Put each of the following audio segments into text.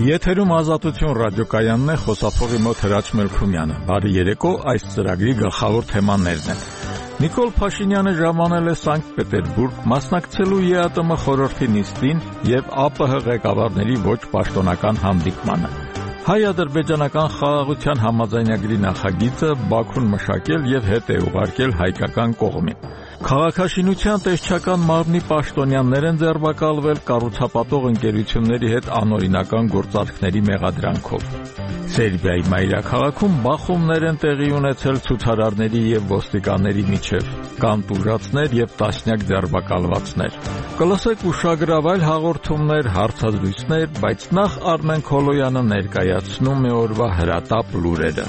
Եթերում Ազատություն ռադիոկայանն է, խոսափողի մոտ Հրաչ Մելքումյանը։ Բարի երեկո, այս ծրագրի գլխավոր թեմաներն են։ Նիկոլ Փաշինյանը ժամանել է Սանկտ Պետերբուրգ, մասնակցելու ԵԱՏՄ խորհրդի նիստին եւ ԱՊՀ ղեկավարների ոչ պաշտոնական հանդիպմանը։ Հայ-ադրբեջանական խաղաղության համաձայնագրի նախագիծը Բաքուն մշակել եւ հետ է ուղարկել հայկական կողմին։ Քաղաքաշինության տեսչական մարմնի պաշտոնյաներ են ձերբակալվել կառուցապատող ընկերությունների հետ անօրինական գործարքների մեղադրանքով։ Սերբիայի մայրաքաղաքում բախումներ են տեղի ունեցել ցուցարարների եւ ոստիկանների միջև, կան տուժածներ եւ տասնյակ ձերբակալվածներ։ Կլսեք ուշագրավ այլ հաղորդումներ, հարցազրույցներ, բայց նախ Արմեն Քոլոյանը ներկայացնում է օրվա հրատապ լուրերը։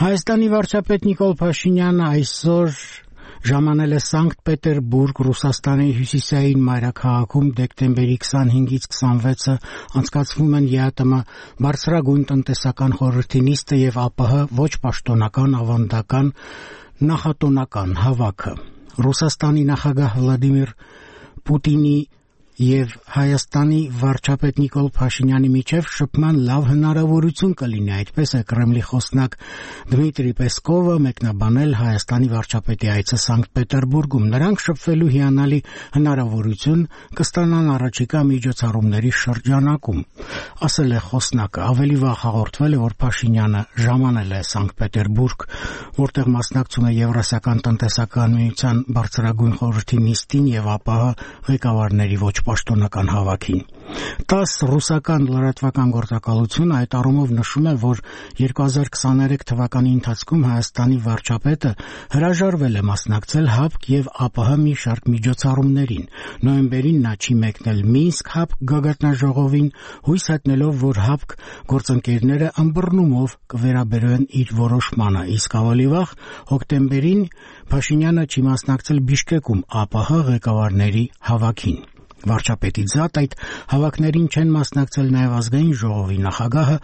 Հայաստանի վարչապետ Նիկոլ Փաշինյանը այսօր ժամանել է Սանկտ Պետերբուրգ, Ռուսաստանի հյուսիսային մայրաքաղաքում դեկտեմբերի 25-ից 26-ը անցկացվում են ԵԱՏՄ բարձրագույն տնտեսական խորհրդի նիստը եւ ԱՊՀ ոչ պաշտոնական ավանդական նախատոնական հավաքը։ Ռուսաստանի նախագահ Վլադիմիր Պուտինի եւ Հայաստանի վարչապետ Նիկոլ Փաշինյանի միջև շփման լավ հնարավորություն կլինի, այդպես է Կրեմլի խոսնակ Դմիտրի Պեսկովը մեկնաբանել Հայաստանի վարչապետի այցը Սանկտ Պետերբուրգում։ Նրանք շփվելու հիանալի հնարավորություն կստանան առաջիկա միջոցառումների շրջանակում, ասել է խոսնակը։ Ավելի վաղ հաղորդվել է, որ Փաշինյանը ժամանել է Սանկտ Պետերբուրգ, որտեղ մասնակցում է Եվրասիական տնտեսական միության բարձրագույն խորհրդի նիստին եւ ԱՊՀ ղեկավարների ոչ պաշտոնական հավաքին։ 10 ռուսական լրատվական գործակալությունը այդ առումով նշում է, որ 2023 թվականի ընթացքում Հայաստանի վարչապետը հրաժարվել է մասնակցել ՀԱՊԿ եւ ԱՊՀ մի շարք միջոցառումներին։ Նոյեմբերին նա չի մեկնել Մինսկ ՀԱՊԿ գագաթնաժողովին, հույս հայտնելով, որ ՀԱՊԿ գործընկերները ըմբռնումով կվերաբերեն իր որոշմանը, իսկ ավելի վաղ հոկտեմբերին Փաշինյանը չի մասնակցել Բիշկեկում ԱՊՀ ղեկավարների հավաքին։ Վարչապետի զատ այդ հավաքներին չեն մասնակցել նաև ազգային ժողովի նախագահը,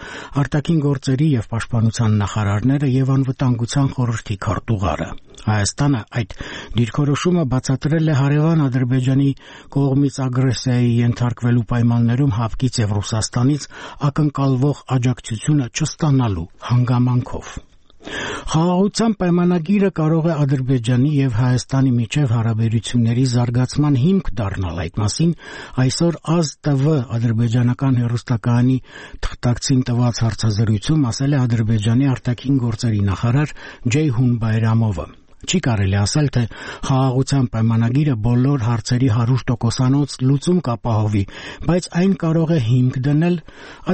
արտաքին գործերի եւ պաշտպանության նախարարները եւ անվտանգության խորհրդի քարտուղարը։ Հայաստանը այդ դիրքորոշումը բացատրել է հարևան Ադրբեջանի կողմից ագրեսիայի ենթարկվելու պայմաններում ՀԱՊԿ-ից եւ Ռուսաստանից ակնկալվող աջակցությունը չստանալու հանգամանքով։ Խաղաղության պայմանագիրը կարող է Ադրբեջանի եւ Հայաստանի միջև հարաբերությունների զարգացման հիմք դառնալ։ Այդ մասին այսօր ԱԶ-TV ադրբեջանական հեռուստակայանի թղթակցին տված հարցազրույցում ասել է Ադրբեջանի արտաքին գործերի նախարար Ջեյհուն Բայրամովը։ Չի կարելի ասել, թե խաղաղության պայմանագիրը բոլոր հարցերի 100%-անոց լուծում կապահովի, բայց այն կարող է հիմք դնել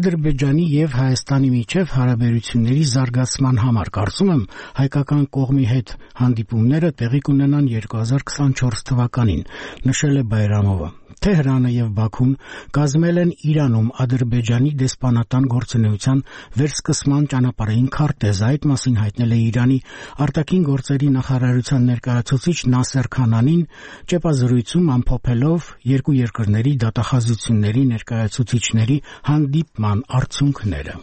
Ադրբեջանի եւ Հայաստանի միջև հարաբերությունների զարգացման համար։ Կարծում եմ, հայկական կողմի հետ հանդիպումները տեղի կունենան 2024 թվականին, նշել է Բայրամովը։ Թեհրանը եւ Բաքուն կազմել են Իրանում Ադրբեջանի դեսպանատան գործունեության վերսկսման ճանապարհային քարտեզ։ Այդ մասին հայտնել է Իրանի արտաքին գործերի նախարարության ներկայացուցիչ Նասեր Քանանին ճեպազրույցում, ամփոփելով երկու երկրների դատախազությունների ներկայացուցիչների հանդիպման արդյունքները։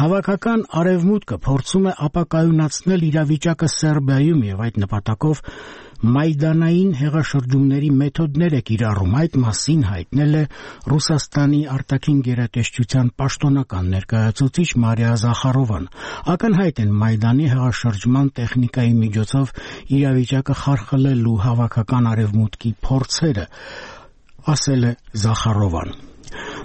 Հավաքական արևմուտքը փորձում է ապակայունացնել իրավիճակը Սերբիայում եւ այդ նպատակով Մայդանային հեղաշրջումների մեթոդներ է կիրառում։ Այդ մասին հայտնել է Ռուսաստանի արտաքին գերատեսչության պաշտոնական ներկայացուցիչ Մարիա Զախարովան։ Ակնհայտ են Մայդանի հեղաշրջման տեխնիկայի միջոցով իրավիճակը խարխլելու հավաքական արևմուտքի փորձերը, ասել է Զախարովան։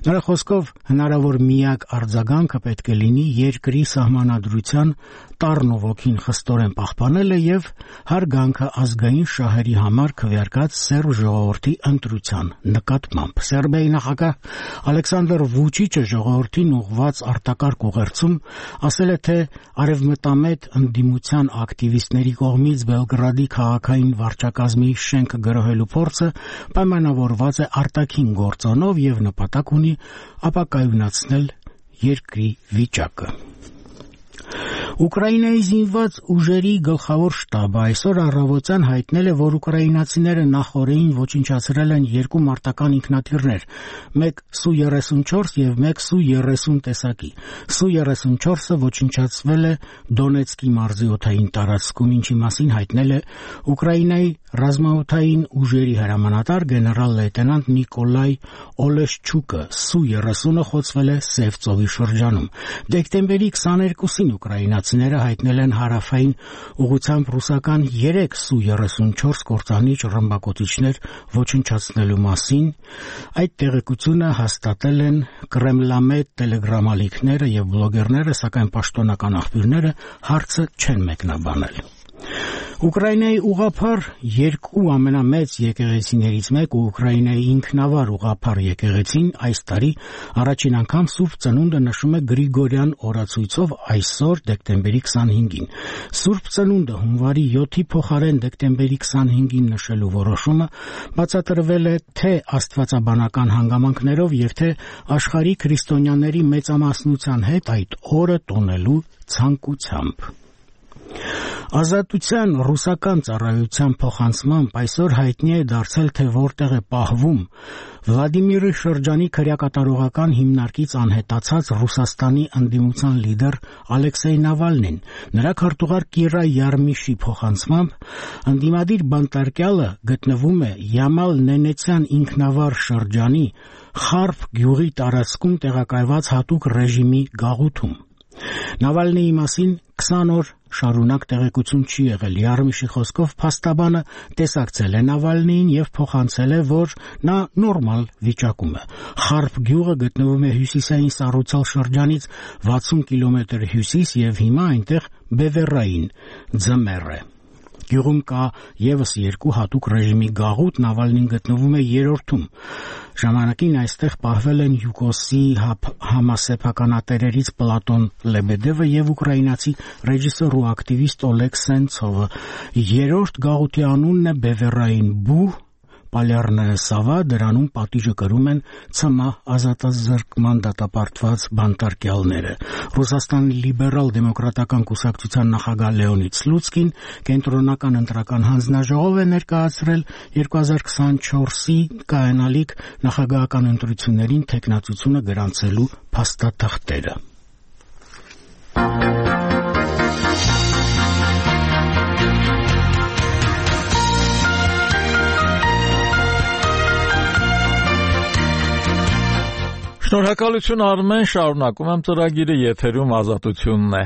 Նրա խոսքով հնարավոր միակ արձագանքը պետք է լինի երկրի սահմանադրության տառն ու ոգին խստորեն պահպանելը եւ հարգանքը ազգային շահերի համար քվեարկած սերբ ժողովրդի ընտրության նկատմամբ։ Սերբիայի նախագահ Ալեքսանդր Վուչիչը ժողովրդին ուղղված արտակարգ ուղերձում ասել է, թե արևմտամետ ընդդիմության ակտիվիստների կողմից Բելգրադի քաղաքային վարչակազմի շենքը գրոհելու փորձը պայմանավորված է արտաքին գործոնով եւ նպատակ ունի ապակայունացնել երկրի վիճակը։ Ուկրաինայի զինված ուժերի գլխավոր շտաբը այսօր առավոտյան հայտնել է, որ ուկրաինացիները նախօրեին ոչնչացրել են 2 մարտական ինքնաթիռներ, մեկ Su-34 եւ մեկ Su-30 տեսակի։ Su-34-ը ոչնչացվել է Դոնեցկի մարզի օդային տարածքում, ինչի մասին հայտնել է Ուկրաինայի ռազմաօդային ուժերի հրամանատար գեներալ լեյտենանտ Նիկոլայ Օլեշչուկը։ Su-30-ը խոցվել է Սև ծովի շրջանում։ Դեկտեմբերի 22-ին ուկրաինացիները հայտնել են հարավային ուղղությամբ ռուսական 3 Su-34 կործանիչ ռմբակոծիչներ ոչնչացնելու մասին։ Այդ տեղեկությունը հաստատել են Կրեմլամետ տելեգրամալիքները եւ բլոգերները, սակայն պաշտոնական աղբյուրները հարցը չեն մեկնաբանել։ Ուկրաինայի ուղղափառ 2 ամենամեծ եկեղեցիներից մեկը Ուկրաինայի ինքնավար ուղղափառ եկեղեցին այս տարի առաջին անգամ Սուրբ Ծնունդը նշում է Գրիգորյան օրացույցով այսօր դեկտեմբերի 25-ին։ Սուրբ Ծնունդը հունվարի 7-ի փոխարեն դեկտեմբերի 25-ին նշելու որոշումը բացատրվել է թե աստվածաբանական հանգամանքներով եւ թե աշխարհի քրիստոնյաների մեծամասնության հետ այդ օրը տոնելու ցանկությամբ։ Ազատության ռուսական ծառայության փոխանցմամբ այսօր հայտնի է դարձել, թե որտեղ է պահվում Վլադիմիրի շրջանի քրեակատարողական հիմնարկից անհետացած Ռուսաստանի ընդդիմության լիդեր Ալեքսեյ Նավալնին։ Նրա քարտուղար Կիրա Յարմիշի փոխանցմամբ ընդդիմադիր բանտարկյալը գտնվում է Յամալ-Նենեցյան ինքնավար շրջանի Խարփ գյուղի տարածքում տեղակայված հատուկ ռեժիմի գաղութում։ Նավալնիի մասին 20 օր շարունակ տեղեկություն չի եղել։ Յարմիշի խոսքով փաստաբանը տեսակցել է Նավալնիին եւ փոխանցել է, որ նա նորմալ վիճակում է։ Խարփ գյուղը գտնվում է հյուսիսային Սառուցալ շրջանից 60 կիլոմետր հյուսիս եւ հիմա այնտեղ բևեռային ձմեռ է։ Գյուղում կա եւս 2 հատուկ ռեժիմի գաղութ, Նավալնին գտնվում է 3-ում։ Ժամանակին այստեղ պահվել են յուկոսի համասեփականատերերից Պլատոն Լեբեդևը եւ ուկրաինացի ռեժիսոր ու ակտիվիստ Օլեգ Սենցովը։ 3-րդ գաղութի անունն է Բևեռային բու, Պալյարնը Սավա, դրանում պատիժը կրում են ՑՄ ազատազրկման դատապարտված բանտարկյալները։ Ռուսաստանի լիբերալ-դեմոկրատական կուսակցության նախագահ Լեոնիդ Սլուցկին կենտրոնական ընտրական հանձնաժողով է ներկայացրել 2024-ի կայանալիք նախագահական ընտրություններին թեկնածությունը գրանցելու փաստաթղթերը։ Շնորհակալություն Արմեն, շարունակում եմ ծրագիրը, եթերում Ազատությունն է։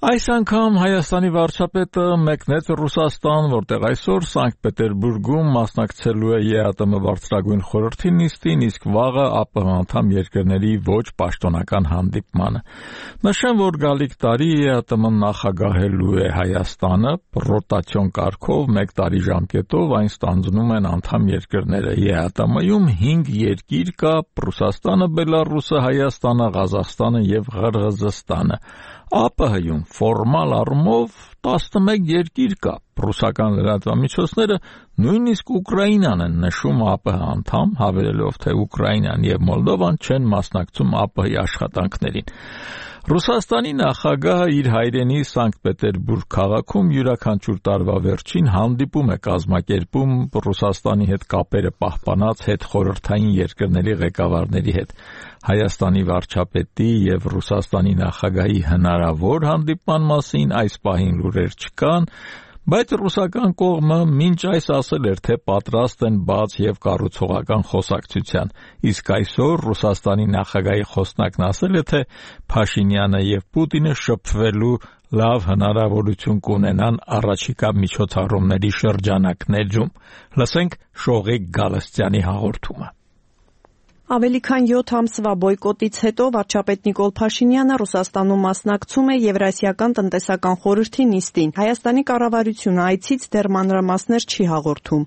Այս անգամ Հայաստանի վարչապետը մեկնեց Ռուսաստան, որտեղ այսօր Սանկտ Պետերբուրգում մասնակցելու է ԵԱՏՄ բարձրագույն խորհրդի նիստին, իսկ վաղը ԱՊՀ անդամ երկրների ոչ պաշտոնական հանդիպմանը։ Նշեմ, որ գալիք տարի ԵԱՏՄ նախագահելու է Հայաստանը, ռոտացիոն կարգով 1 տարի ժամկետով այն ստանձնում են անդամ երկրները։ ԵԱՏՄ-ում 5 երկիր կա՝ Ռուսաստանը, Բելարուսը, Հայաստանը, Ղազախստանը եւ Ղրղզստանը։ ԱՊՀ-ում ֆորմալ առումով 11 երկիր կա։ Ռուսական լրատվամիջոցները նույնիսկ Ուկրաինան են նշում ԱՊՀ անդամ, հավելելով, թե Ուկրաինան եւ Մոլդովան չեն մասնակցում ԱՊՀ-ի աշխատանքներին։ Ռուսաստանի նախագահը իր հայրենի Սանկտ Պետերբուրգ քաղաքում յուրաքանչյուր տարվա վերջին հանդիպում է կազմակերպում Ռուսաստանի հետ կապերը պահպանած հետխորհրդային երկրների ղեկավարների հետ։ Հայաստանի վարչապետի եւ Ռուսաստանի նախագահի հնարավոր հանդիպման մասին այս պահին լուրեր չկան, բայց ռուսական կողմը մինչ այս ասել էր, թե պատրաստ են բաց եւ կառուցողական խոսակցության, իսկ այսօր Ռուսաստանի նախագահի խոսնակն ասել է, թե Փաշինյանը եւ Պուտինը շփվելու լավ հնարավորություն կունենան առաջիկա միջոցառումների շրջանակներում։ Լսենք Շողիկ Գալստյանի հաղորդումը։ Ավելի քան 7 ամսվա բոյկոտից հետո վարչապետ Նիկոլ Փաշինյանը Ռուսաստանում մասնակցում է Եվրասիական տնտեսական խորհրդի նիստին։ Հայաստանի կառավարությունը այցից դեռ մանրամասներ չի հաղորդում։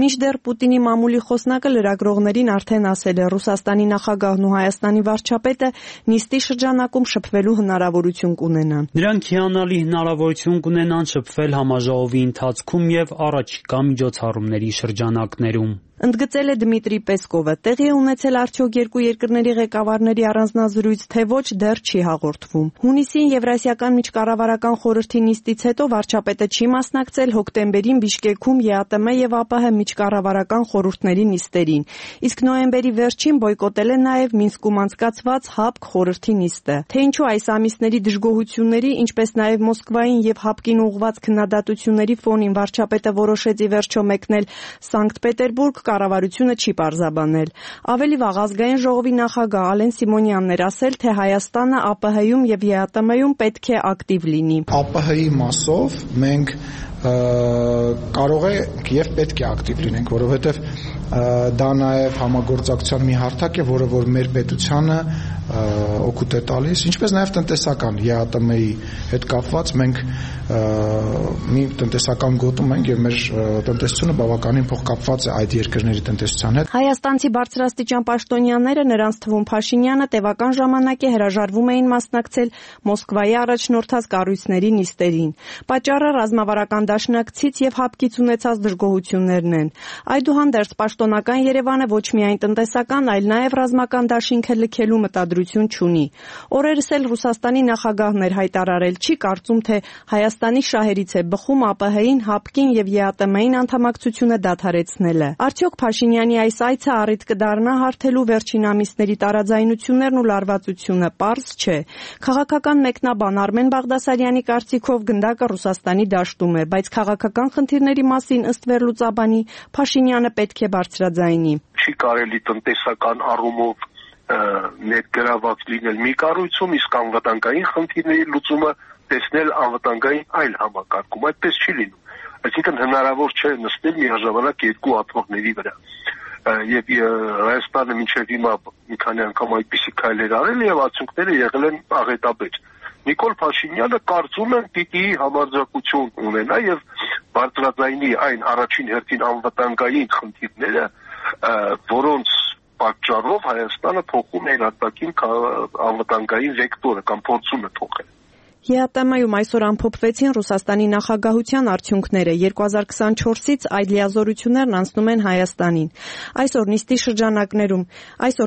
Մինչդեռ Պուտինի մամուլի խոսնակը լրագրողներին արդեն ասել է, Ռուսաստանի նախագահն ու Հայաստանի վարչապետը նիստի շրջանակում շփվելու հնարավորություն կունենան։ Նրանք հիանալի հնարավորություն կունենան շփվել համաժողովի ընթացքում եւ առաջիկա միջոցառումների շրջանակներում։ Ընդգծել է Դմիտրի Պեսկովը։ Տեղի է ունեցել արդյոք երկու երկրների ղեկավարների առանձնազրույց, թե ոչ, դեռ չի հաղորդվում։ Հունիսին Եվրասիական միջկառավարական խորհրդի նիստից հետո վարչապետը չի մասնակցել հոկտեմբերին Բիշկեքում ԵԱՏՄ եւ ԱՊՀ միջկառավարական խորհուրդների նիստերին, իսկ նոյեմբերի վերջին բոյկոտել է նաեւ Մինսկում անցկացված ՀԱՊԿ խորհրդի նիստը։ Թե ինչու այս ամիսների դժգոհությունների, ինչպես նաեւ Մոսկվային եւ ՀԱՊԿ-ին ուղղված քննադատությունների ֆոնին վարչապետը որոշեց ի վերջո մեկնել Սանկտ Պետերբուրգ, կառավարությունը չի պարզաբանել։ Ավելի վաղ ազգային ժողովի նախագահ Ալեն Սիմոնյանն էր ասել, թե Հայաստանը ԱՊՀ-ում եւ ԵԱՏՄ-ում պետք է ակտիվ լինի։ ԱՊՀ-ի մասով մենք կարող ենք եւ պետք է ակտիվ լինենք, որովհետեւ դա նաեւ համագործակցության մի հարթակ է, որը որ մեր պետությանը օգուտ է տալիս, ինչպես նաեւ տնտեսական ԵԱՏՄ-ի հետ կապված մենք մի տնտեսական գոտում ենք եւ մեր տնտեսությունը բավականին փոխկապված է այդ երկրների տնտեսության հետ։ Հայաստանցի բարձրաստիճան պաշտոնյաները, նրանց թվում Փաշինյանը, տևական ժամանակ է հրաժարվում էին մասնակցել Մոսկվայի առաջնորդած կառույցների նիստերին։ Պատճառը ռազմավարական դաշնակցից եւ ՀԱՊԿ-ից ունեցած դժգոհություններն են։ Այդուհանդերձ պաշտոնական Երևանը ոչ միայն տնտեսական, այլ նաեւ ռազմական դաշինքը լքելու մտադրություն չունի։ Օրերս էլ Ռուսաստանի նախագահն էր հայտարարել, չի կարծում, թե Հայաստանի շահերից է բխում ԱՊՀ-ին, ՀԱՊԿ-ին եւ ԵԱՏՄ-ին անդամակցությունը դադարեցնելը։ Արդյոք Փաշինյանի այս այցը առիթ կդառնա հարթելու վերջին ամիսների տարաձայնություններն ու լարվածությունը, պարզ չէ։ Քաղաքական մեկնաբան Արմեն Բաղդասարյանի կարծիքով գնդակը Ռուսաստանի դաշտում է, բայց քաղաքական խնդիրների մասին ըստ վերլուծաբանի Փաշինյանը պետք է բարձրաձայնի։ Չի կարելի տնտեսական առումով ներգրաված լինել մի կառույցում, իսկ անվտանգային խնդիրների լուծումը տեսնել անվտանգային այլ համակարգում, այդպես չի լինում։ Այսինքն հնարավոր չէ նստել միաժամանակ երկու աթոռների վրա։ Եվ Հայաստանը մինչև հիմա մի քանի անգամ այդպիսի քայլեր արել եւ արդյունքները եղել են աղետաբեր։ Նիկոլ Փաշինյանը կարծում եմ պիտի համարձակություն ունենա եւ բարձրաձայնի այն առաջին հերթին անվտանգային խնդիրները, որոնց պատճառով Հայաստանը փոխում է արտաքին անվտանգային վեկտորը կամ փորձում է փոխել։ ԵԱՏՄ-ում այսօր ամփոփվեցին Ռուսաստանի նախագահության արդյունքները։ 2024-ից այդ լիազորություններն անցնում են Հայաստանին։ Այսօր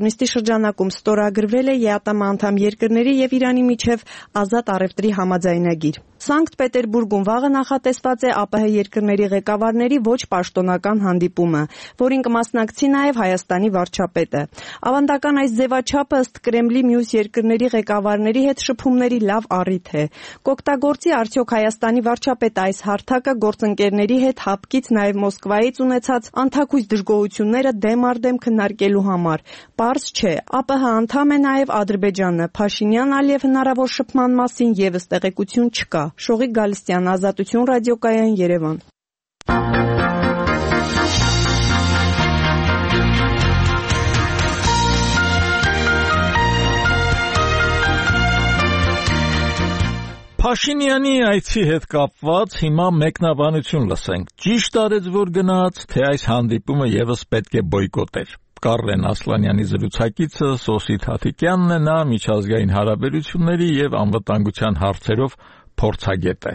նիստի շրջանակում ստորագրվել է ԵԱՏՄ անդամ երկրների եւ Իրանի միջև ազատ առևտրի համաձայնագիր։ Սանկտ Պետերբուրգում վաղը նախատեսված է ԱՊՀ երկրների ղեկավարների ոչ պաշտոնական հանդիպումը, որին կմասնակցի նաև Հայաստանի վարչապետը։ Ավանդական այս ձևաչափը ըստ Կրեմլի մյուս երկրների ղեկավարների հետ շփումների լավ առիթ է։ Կօգտագործի արդյոք Հայաստանի վարչապետը այս հարթակը գործընկերների հետ ՀԱՊԿ-ից նաև Մոսկվայից ունեցած անթակույց դժգոհությունները դեմ առ դեմ քննարկելու համար։ Պարզ չէ, ԱՊՀ անդամ է նաև Ադրբեջանը։ Փաշինյան-Ալիև հնարավոր շփման մասին եւս տեղեկություն չկա։ Շողիկ Գալստյան, Ազատություն ռադիոկայան, Երևան։ Փաշինյանի այցի հետ կապված հիմա մեկնաբանություն լսենք։ Ճիշտ արեց, որ գնաց, թե այս հանդիպումը եւս պետք է բոյկոտեր։ Կարլեն Ասլանյանի զրուցակիցը Սոսիթ Հաթիկյանն է, նա միջազգային հարաբերությունների եւ անվտանգության հարցերով փորձագետ է։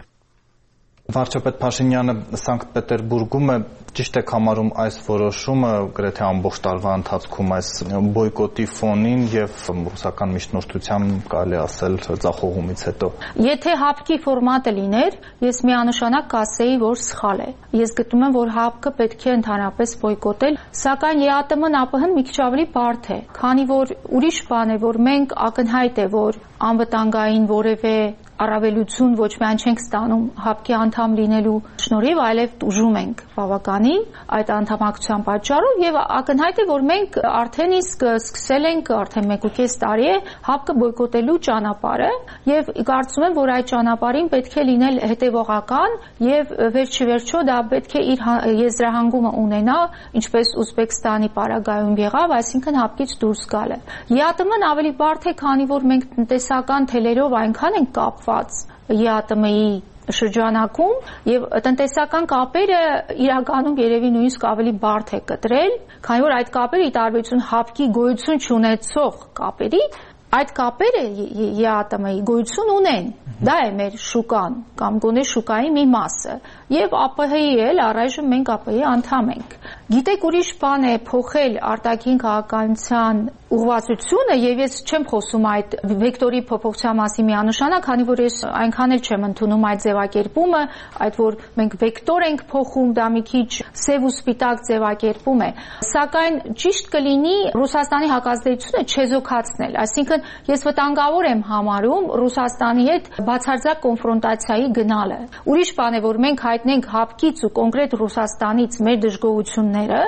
Վարչապետ Փաշինյանը Սանկտ Պետերբուրգում է, ճիշտ եք համարում այս որոշումը գրեթե ամբողջ տարվա ընթացքում այս բոյկոտի ֆոնին եւ ռուսական միջնորդության կարելի ասել ձախողումից հետո։ Եթե ՀԱՊԿ-ի ֆորմատը լիներ, ես միանշանակ կասեի, որ սխալ է։ Ես գտնում եմ, որ ՀԱՊԿ-ը պետք է ընդհանրապես բոյկոտել, սակայն ԵԱՏՄ-ն ԱՊՀ-ն մի քիչ ավելի բարդ է, քանի որ ուրիշ բան է, որ մենք ակնհայտ է, որ անվտանգային որևէ առավելություն ոչ միայն չենք ստանում ՀԱՊԿ-ի անդամ լինելու շնորհիվ, այլև տուժում ենք բավականին այդ անդամակցության պատճառով եւ ակնհայտ է, որ մենք արդեն իսկ սկսել ենք արդեն 1.5 տարի է ՀԱՊԿ-ը բոյկոտելու ճանապարհը եւ կարծում եմ, որ այդ ճանապարհին պետք է լինել հետեւողական եւ վերջիվերջո դա պետք է իր եզրահանգումը ունենա, ինչպես Ուզբեկստանի պարագայում եղավ, այսինքն ՀԱՊԿ-ից դուրս գալը։ ԵԱՏՄ-ն ավելի բարդ է, քանի որ մենք տնտեսական թելերով այնքան ենք կապված ԵԱՏՄ-ի շրջանակում եւ տնտեսական կապերը իրականում երևի նույնիսկ ավելի բարդ է կտրել, քանի որ այդ կապերը ի տարբերություն ՀԱՊԿ-ի գոյություն չունեցող կապերի, այդ կապերը ԵԱՏՄ-ի գոյություն ունեն։ Դա է մեր շուկան կամ գոնե շուկայի մի մասը եւ ԱՊՀ-ի էլ առայժմ մենք ԱՊՀ-ի անդամ ենք։ Գիտեք, ուրիշ բան է փոխել արտաքին քաղաքականության ուղղվածությունը, եւ ես չեմ խոսում այդ վեկտորի փոփոխության մասին միանշանակ, քանի որ ես այնքան էլ չեմ ընդունում այդ ձևակերպումը, այդ որ մենք վեկտոր ենք փոխում, դա մի քիչ սև ու սպիտակ ձևակերպում է, սակայն ճիշտ կլինի Ռուսաստանի հակազդեցությունը չեզոքացնել, այսինքն ես վտանգավոր եմ համարում Ռուսաստանի հետ բացարձակ կոնֆրոնտացիայի գնալը։ Ուրիշ բան է, որ մենք հայտնենք հապկից ու կոնկրետ Ռուսաստանից մեր դժգոհությունները,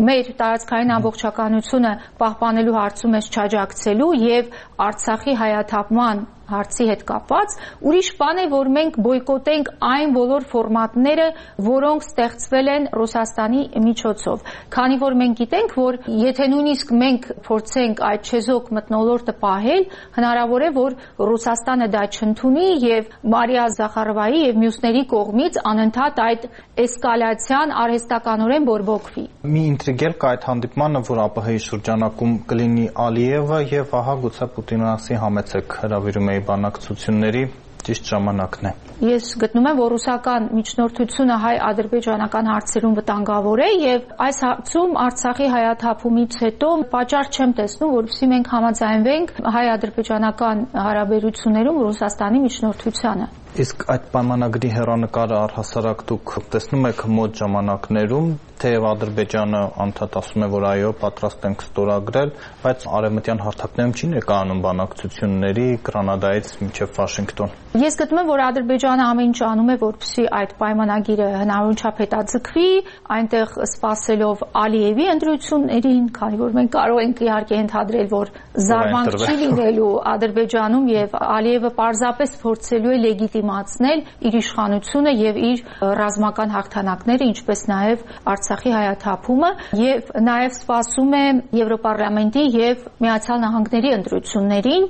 մեր տարածքային ամբողջականությունը պահպանելու հարցում ես չաջակցելու եւ Արցախի հայաթափման հարցի հետ կապված, ուրիշ բան է, որ մենք բոյկոտենք այն բոլոր ֆորմատները, որոնք ստեղծվել են Ռուսաստանի միջոցով։ Քանի որ մենք գիտենք, որ եթե նույնիսկ մենք փորձենք այդ չեզոք մթնոլորտը պահել, հնարավոր է, որ Ռուսաստանը դա չընդունի եւ Մարիա Զախարովայի եւ մյուսների կողմից անընդհատ այդ էսկալացիան արհեստականորեն բորբոքվի։ Մի ինտրիգ կա այդ հանդիպմանը, որ ԱՊՀ-ի շրջանակում կլինի Ալիևը եւ ահա գուցե Պուտինն ասի համեցեք հրավիրում բանակցությունների ճիշտ ժամանակն է։ Ես գտնում եմ, որ ռուսական միջնորդությունը հայ-ադրբեջանական հարցերում վտանգավոր է եւ այս հարցում Արցախի հայաթափումից հետո պատճառ չեմ տեսնում, որովհետեւ մենք համաձայնվենք հայ-ադրբեջանական հարաբերություններում Ռուսաստանի միջնորդությանը։ Իսկ այդ պայմանագրի հեռանկարը առհասարակ դուք տեսնում եք մոտ ժամանակներում, թեև Ադրբեջանը անդադ ասում է, որ այո, պատրաստ ենք ստորագրել, բայց արևմտյան հարթակներում չի ներկայանում բանակցությունների Գրանադայից մինչև Վաշինգտոն։ Ես գտնում եմ, որ Ադրբեջանը ամեն ինչ անում է, որպեսզի այդ պայմանագիրը հնարավորին չափ հետաձգվի, այնտեղ սպասելով Ալիևի ընտրություններին, քանի որ մենք կարող ենք իհարկե ենթադրել, որ զարմանք չի լինելու Ադրբեջանում եւ Ալիևը պարզապես փորձելու է լեգիտիմացնել իր իշխանությունը եւ իր ռազմական հաղթանակները, ինչպես նաեւ Արցախի հայաթափումը եւ նաեւ սպասում է Եվրոպարլամենտի եւ Միացյալ Նահանգների ընտրություններին,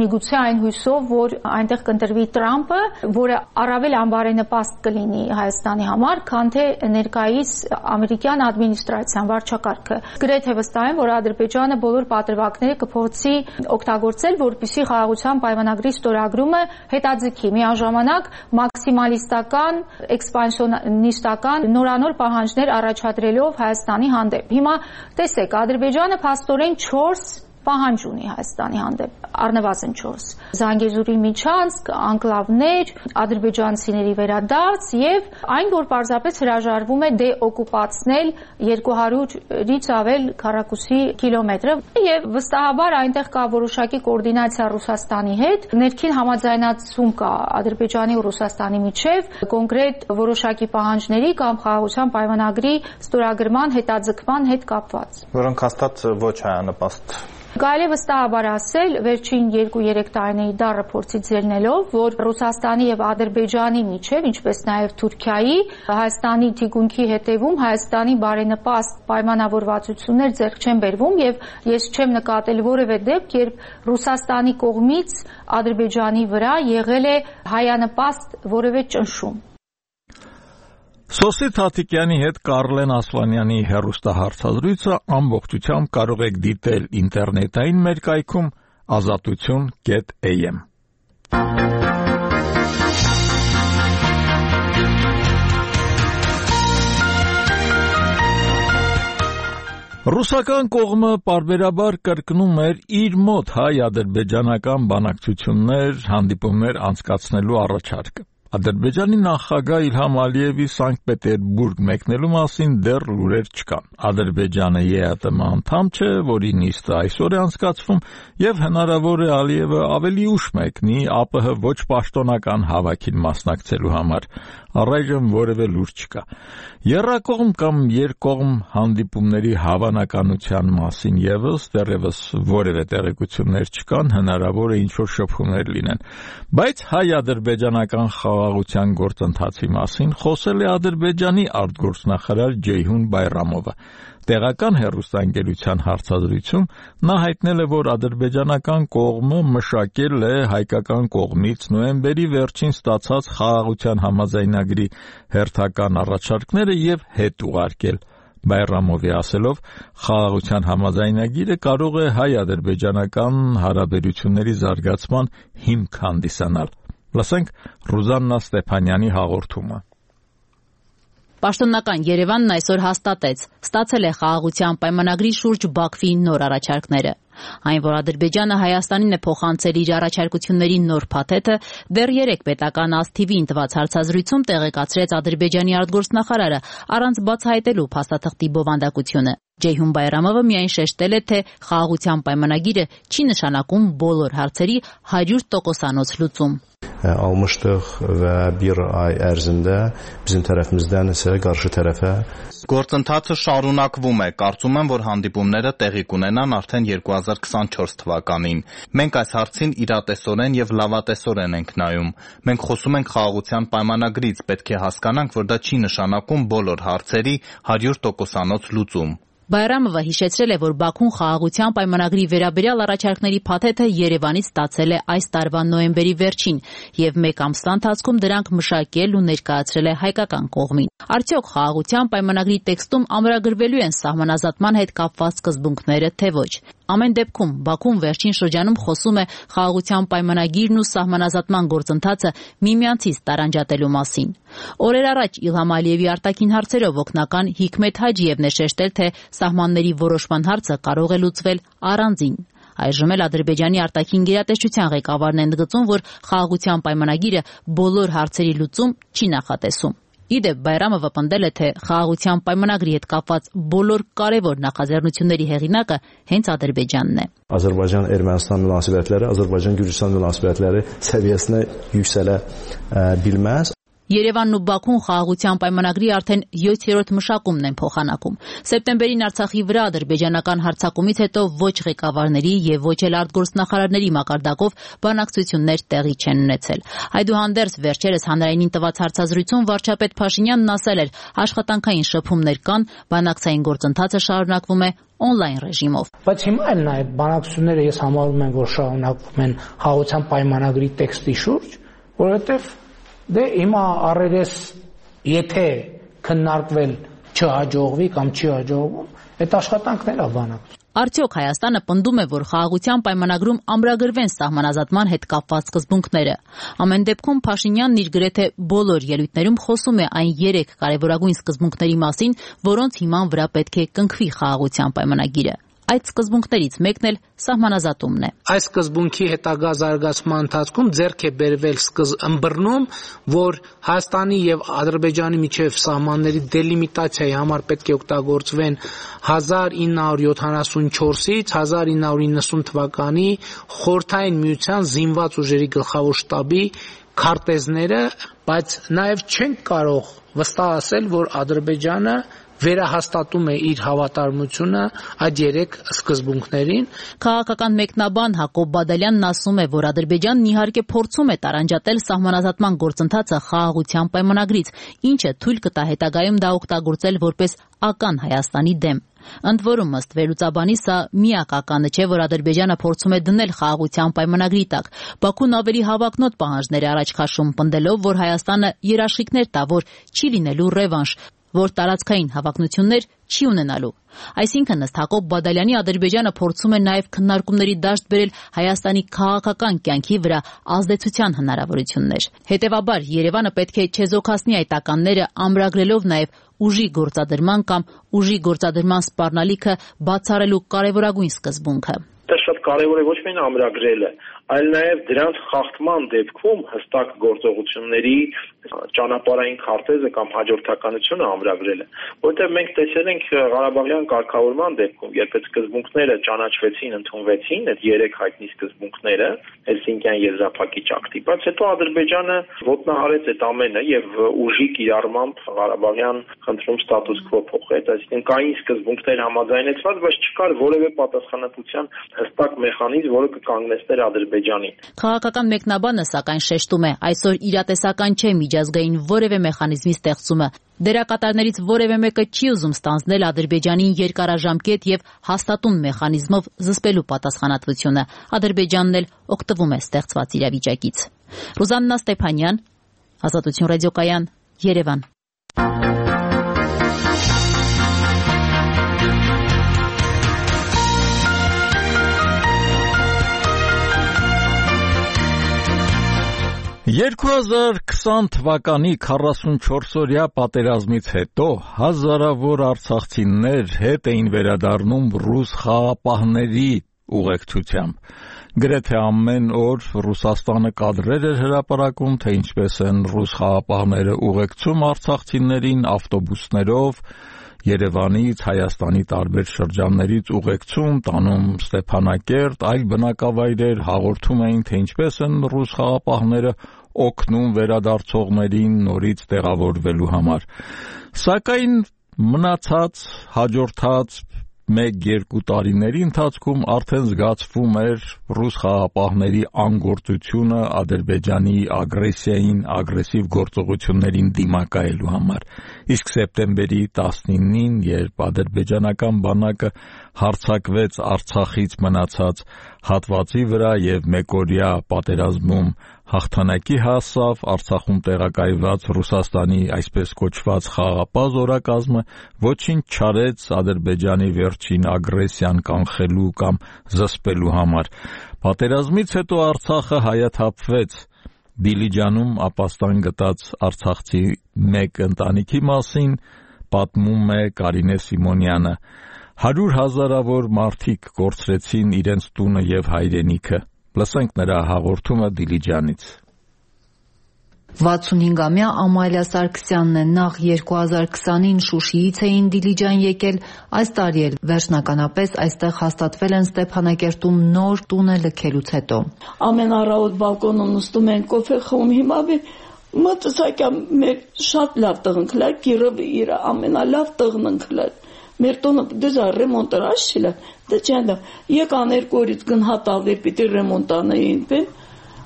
միգուցե այն հույսով, որ այնտեղ կընտրվի Տրամպը, որը առավել անբարենպաստ կլինի Հայաստանի համար, քան թե ներկայիս ամերիկյան ադմինիստրացիան վարչակարգը։ Գրեթե վստահ եմ, որ Ադրբեջանը բոլոր պատրվակները կփորձի օգտագործել, որպեսզի խաղաղության պայմանագրի ստորագրումը հետաձգի, միաժամանակ մաքսիմալիստական, էքսպանսիոնիստական նորանոր պահանջներ առաջադրելով Հայաստանի հանդեպ։ Հիմա տեսեք, Ադրբեջանը փաստորեն 4 պահանջ ունի Հայաստանի հանդեպ, առնվազն 4. Զանգեզուրի միջանցք, անկլավներ, ադրբեջանցիների վերադարձ եւ այն, որ պարզապես հրաժարվում է դեօկուպացնել 200-ից ավել քառակուսի կիլոմետրը եւ վստահաբար այնտեղ կա որոշակի կոորդինացիա Ռուսաստանի հետ, ներքին համաձայնացում կա Ադրբեջանի ու Ռուսաստանի միջեւ կոնկրետ որոշակի պահանջների կամ խաղաղության պայմանագրի ստորագրման հետաձգման հետ կապված, որոնք հաստատ ոչ հայանպաստ։ Կարելի է վստահաբար ասել, վերջին 2-3 տարիների դառը փորձից ելնելով, որ Ռուսաստանի եւ Ադրբեջանի միջեւ, ինչպես նաեւ Թուրքիայի, Հայաստանի թիկունքի հետևում Հայաստանի բարենպաստ պայմանավորվածություններ ձեռք չեն բերվում եւ ես չեմ նկատել որևէ դեպք, երբ Ռուսաստանի կողմից Ադրբեջանի վրա եղել է հայանպաստ որևէ ճնշում։ Սոսի Թաթիկյանի հետ Կարլեն Ասլանյանի հեռուստահարցազրույցը ամբողջությամբ կարող եք դիտել ինտերնետային մեր կայքում azatutun.am։ Ռուսական կողմը պարբերաբար կրկնում էր իր մոտ հայ-ադրբեջանական բանակցություններ, հանդիպումներ անցկացնելու առաջարկը։ Ադրբեջանի նախագահ Իլհամ Ալիևի Սանկտ Պետերբուրգ մեկնելու մասին դեռ լուրեր չկան։ Ադրբեջանը ԵԱՏՄ անդամ չէ, որի նիստը այսօր է անցկացվում, եւ հնարավոր է Ալիևը ավելի ուշ մեկնի ԱՊՀ ոչ պաշտոնական հավաքին մասնակցելու համար։ Առայժմ որևէ լուր չկա։ Եռակողմ կամ երկկողմ հանդիպումների հավանականության մասին եւս դեռևս որևէ տեղեկություններ չկան, հնարավոր է ինչ-որ շփումներ լինեն։ Բայց հայ-ադրբեջանական խաղաղության գործընթացի մասին խոսել է Ադրբեջանի արտգործնախարար Ջեյհուն Բայրամովը։ Տեղական հեռուստաընկերության հարցազրույցում նա հայտնել է, որ ադրբեջանական կողմը մշակել է հայկական կողմից նոյեմբերի վերջին ստացած խաղաղության համաձայնագրի հերթական առաջարկները եւ հետ ուղարկել։ Բայրամովի ասելով, խաղաղության համաձայնագիրը կարող է հայ-ադրբեջանական հարաբերությունների զարգացման հիմք հանդիսանալ։ Լսենք Ռուզաննա Ստեփանյանի հաղորդումը։ Պաշտոնական Երևանն այսօր հաստատեց, ստացել է խաղաղության պայմանագրի շուրջ Բաքվի նոր առաջարկները։ Այն, որ Ադրբեջանը Հայաստանին է փոխանցել իր առաջարկությունների նոր փաթեթը, դեռ 3 պետական ազդիվին տված հարցազրույցում տեղեկացրեց Ադրբեջանի արտգործնախարարը, առանց բացահայտելու փաստաթղթի բովանդակությունը։ Ջեյհուն Բայրամովը միայն շեշտել է, թե խաղաղության պայմանագիրը չի նշանակում բոլոր հարցերի 100%-անոց լուծում։ Almışdıq və bir ay ərzində bizim tərəfimizdən isə qarşı tərəfə Գործընթացը շարունակվում է, կարծում եմ, որ հանդիպումները տեղի կունենան արդեն 2024 թվականին։ Մենք այս հարցին իրատեսորեն եւ լավատեսորեն ենք նայում։ Մենք խոսում ենք խաղաղության պայմանագրից, պետք է հասկանանք, որ դա չի նշանակում բոլոր հարցերի 100%-անոց լուծում։ Բայրամովը հիշեցրել է, որ Բաքուն խաղաղության պայմանագրի վերաբերյալ առաջարկների փաթեթը Երևանից ստացել է այս տարվա նոյեմբերի վերջին եւ 1 ամսվա ընթացքում դրանք մշակել ու ներկայացրել է հայկական կողմին։ Արդյոք խաղաղության պայմանագրի տեքստում ամրագրվելու են սահմանազատման հետ կապված սկզբունքները, թե ոչ։ Ամեն դեպքում Բաքուն վերջին շրջանում խոսում է խաղաղության պայմանագիրն ու սահմանազատման գործընթացը միմյանցից տարանջատելու մասին։ Օրեր առաջ Իլհամ Ալիևի արտաքին հարցերով օգնական Հիկմետ Հաջիևն է շեշտել, թե սահմանների որոշման հարցը կարող է լուծվել առանձին։ Այժմ էլ Ադրբեջանի արտաքին գերատեսչության ղեկավարն է ընդգծում, որ խաղաղության պայմանագիրը բոլոր հարցերի լուծում չի նախատեսում։ Իդեպ Բայրամովը պնդել է, թե խաղաղության պայմանագրի հետ կապված բոլոր կարևոր նախաձեռնությունների հեղինակը հենց Ադրբեջանն է։ Azərbaycan-Ermənistan münasibətləri, Azərbaycan-Gürcüstan münasibətləri səviyyəsinə yüksələ bilməz. Երևանն ու Բաքուն խաղաղության պայմանագրի արդեն 7-րդ մշակումն են փոխանակում։ Սեպտեմբերին Արցախի վրա ադրբեջանական հարձակումից հետո ոչ ղեկավարների եւ ոչ էլ արտգործնախարարների մակարդակով բանակցություններ տեղի չեն ունեցել։ Այդուհանդերձ վերջերս հանրայինին տված հարցազրույցում վարչապետ Փաշինյանն ասել էր, աշխատանքային շփումներ կան, բանակցային գործընթացը շարունակվում է on-line ռեժիմով։ Բայց հիմա էլ նաեւ բանակցությունները ես համարում եմ, որ շարունակվում են խաղաղության պայմանագրի տեքստի շուրջ, որովհետեւ Դե հիմա առերես եթե քննարկվել չհաջողվի կամ չի հաջողվում, այդ աշխատանքն է բանակ։ Արդյոք Հայաստանը պնդում է, որ խաղաղության պայմանագրում ամրագրվեն սահմանազատման հետ կապված սկզբունքները։ Ամեն դեպքում Փաշինյանն իր գրեթե բոլոր ելույթներում խոսում է այն 3 կարևորագույն սկզբունքների մասին, որոնց հիման վրա պետք է կնքվի խաղաղության պայմանագիրը։ Այդ սկզբունքներից մեկն էլ սահմանազատումն է։ Այս սկզբունքի հետագա զարգացման ընթացքում ձեռք է բերվել ըմբռնում, որ Հայաստանի եւ Ադրբեջանի միջև սահմանների դելիմիտացիայի համար պետք է օգտագործվեն 1974-ից 1990 թվականի Խորհրդային Միության զինված ուժերի գլխավոր շտաբի քարտեզները, բայց նաեւ չենք կարող վստահ ասել, որ Ադրբեջանը վերահաստատում է իր հավատարմությունը այդ 3 սկզբունքներին։ Քաղաքական մեկնաբան Հակոբ Բադալյանն ասում է, որ Ադրբեջանն իհարկե փորձում է տարանջատել սահմանազատման գործընթացը խաղաղության պայմանագրից, ինչը թույլ կտա հետագայում դա օգտագործել որպես ական Հայաստանի դեմ։ Ընդ որում, ըստ վերլուծաբանի, սա միակ ականը չէ, որ Ադրբեջանը փորձում է դնել խաղաղության պայմանագրի տակ։ Բաքուն ավելի հավակնոտ պահանջներ է առաջ քաշում, պնդելով, որ Հայաստանը երաշխիքներ տա, որ չի լինելու ռևանշ, որ տարածքային հավակնություններ չի ունենալու։ Այսինքն, ըստ Հակոբ Բադալյանի, Ադրբեջանը փորձում է նաև քննարկումների դաշտ բերել Հայաստանի քաղաքական կյանքի վրա ազդեցության հնարավորություններ։ Հետևաբար, Երևանը պետք է չեզոքացնի այդ ականները, ամրագրելով նաև ուժի գործադրման կամ ուժի գործադրման սպառնալիքը բացառելու կարևորագույն սկզբունքը։ Դա շատ կարևոր է ոչ միայն ամրագրելը, այլ նաև դրանց խախտման դեպքում հստակ գործողությունների ճանապարհային քարտեզը կամ հաջորդականությունը ամրագրելը, որտեղ մենք տեսել ենք Ղարաբաղյան կարգավորման դեպքում, երբ այդ սկզբունքները ճանաչվեցին, ընդունվեցին, այդ 3 հայտնի սկզբունքները Հելսինկյան եզրափակիչ ակտի, բայց հետո Ադրբեջանը ոտնահարեց այդ ամենը եւ ուժի կիրառմամբ Ղարաբաղյան խնդրում ստատուս քվո փոխեց, այսինքն կային սկզբունքներ համաձայնեցված, բայց չկար որևէ պատասխանատվության հստակ մեխանիզմ, որը կկանգնեցներ Ադրբեջանին։ Քաղաքական մեկնաբանը սակայն շեշտում է, այսօր իրատեսական չէ միջազգային որևէ մեխանիզմի ստեղծումը։ Դերակատարներից որևէ մեկը չի ուզում ստանձնել Ադրբեջանին երկարաժամկետ եւ հաստատուն մեխանիզմով զսպելու պատասխանատվությունը։ Ադրբեջանն էլ օգտվում է ստեղծված իրավիճակից։ Ռուզաննա Ստեփանյան, Ազատություն ռադիոկայան, Երևան։ 2020 թվականի 44-օրյա պատերազմից հետո հազարավոր արցախցիներ հետ էին վերադառնում ռուս խաղապահների ուղեկցությամբ։ Գրեթե ամեն օր Ռուսաստանը կադրեր էր հրապարակում, թե ինչպես են ռուս խաղապահները ուղեկցում արցախցիներին ավտոբուսներով, Երևանից, Հայաստանի տարբեր շրջաններից ուղեկցում, տանում Ստեփանակերտ, այլ բնակավայրեր, հաղորդում էին, թե ինչպես են ռուս խաղապահները օգնում վերադարձողներին նորից տեղավորվելու համար։ Սակայն մնացած հաջորդած 1-2 տարիների ընթացքում արդեն զգացվում էր ռուս խաղապահների անգործությունը Ադրբեջանի ագրեսիային, ագրեսիվ գործողություններին դիմակայելու համար։ Իսկ սեպտեմբերի 19-ին, երբ ադրբեջանական բանակը հարձակվեց Արցախից մնացած հատվածի վրա եւ մեկօրյա պատերազմում հաղթանակի հասավ, Արցախում տեղակայված Ռուսաստանի այսպես կոչված խաղապահ զորակազմը ոչինչ չարեց Ադրբեջանի վերջին ագրեսիան կանխելու կամ զսպելու համար։ Պատերազմից հետո Արցախը հայաթափվեց։ Դիլիջանում ապաստան գտած արցախցի մեկ ընտանիքի մասին պատմում է Կարինե Սիմոնյանը։ 100,000-ավոր մարդիկ կորցրեցին իրենց տունը եւ հայրենիքը։ Լսենք նրա հաղորդումը Դիլիջանից։ 65-ամյա Ամալիա Սարգսյանն է, նախ 2020-ին Շուշիից էին Դիլիջան եկել, այս տարի էլ վերջնականապես այստեղ հաստատվել են Ստեփանակերտում նոր տունը լքելուց հետո։ Ամեն առավոտ բալկոնում նստում են, կոֆե խմում, հիմա մտածակյա մեր շատ լավ տեղ ընկլա, գիրը իր ամենալավ տեղն ընկլա։ Մեր տունը դժա ռեմոնտը աշիլը, դե չանդա, եկան 2 օրից գնահատալներ պիտի ռեմոնտանային բեն,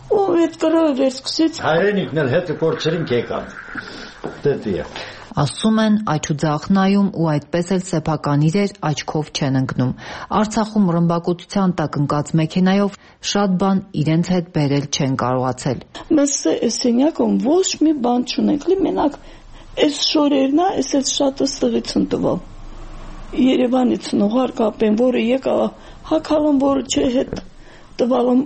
ու այդ կրը վերսկսեց։ Հայրենիքն էլ հետը կորցրինք եկան, դետի է։ Ասում են աչուձախ նայում ու այդպես էլ սեփական իրեր աչքով չեն ընկնում։ Արցախում ռմբակոծության տակ ընկած մեքենայով շատ բան իրենց հետ բերել չեն կարողացել։ Մեզ սենյակում ոչ մի բան չունենք, լի մենակ այս շորերն է, այս շատ ստղից ընտվալ։ Երևանից նողարկապեն, որը եկավ հակալում, որը չէ հետ տվալում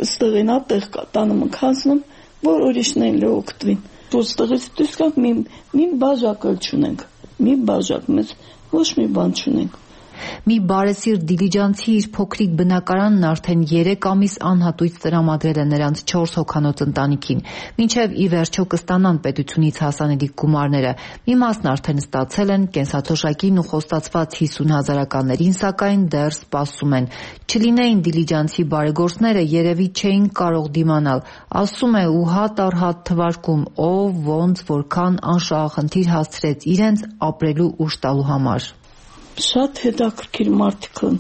ստղին ատեղ տանում ընքանցնում, որ ուրիշն են լոկտվին։ Որ ստղից դուսկանք մի բաժակ էլ չունենք, մի բաժակ, մեզ ոչ մի բան չունենք։ Մի բարեսիրտ դիլիջանցի իր փոքրիկ բնակարանն արդեն 3 ամիս անհատույց տրամադրել է նրանց 4 հոգանոց ընտանիքին, մինչև ի վերջո կստանան պետությունից հասանելի գումարները։ Մի մասն արդեն ստացել են, կենսաթոշակին ու խոստացված 50,000-ականներին սակայն դեռ սպասում են։ Չլինեին դիլիջանցի բարեգործները երևի չէին կարող դիմանալ, ասում է ու հատ առ հատ թվարկում, ով ոնց որքան անշահախնդիր հասցրեց իրենց ապրելու ուժ տալու համար։ Շատ հետաքրքիր մարդիկ են,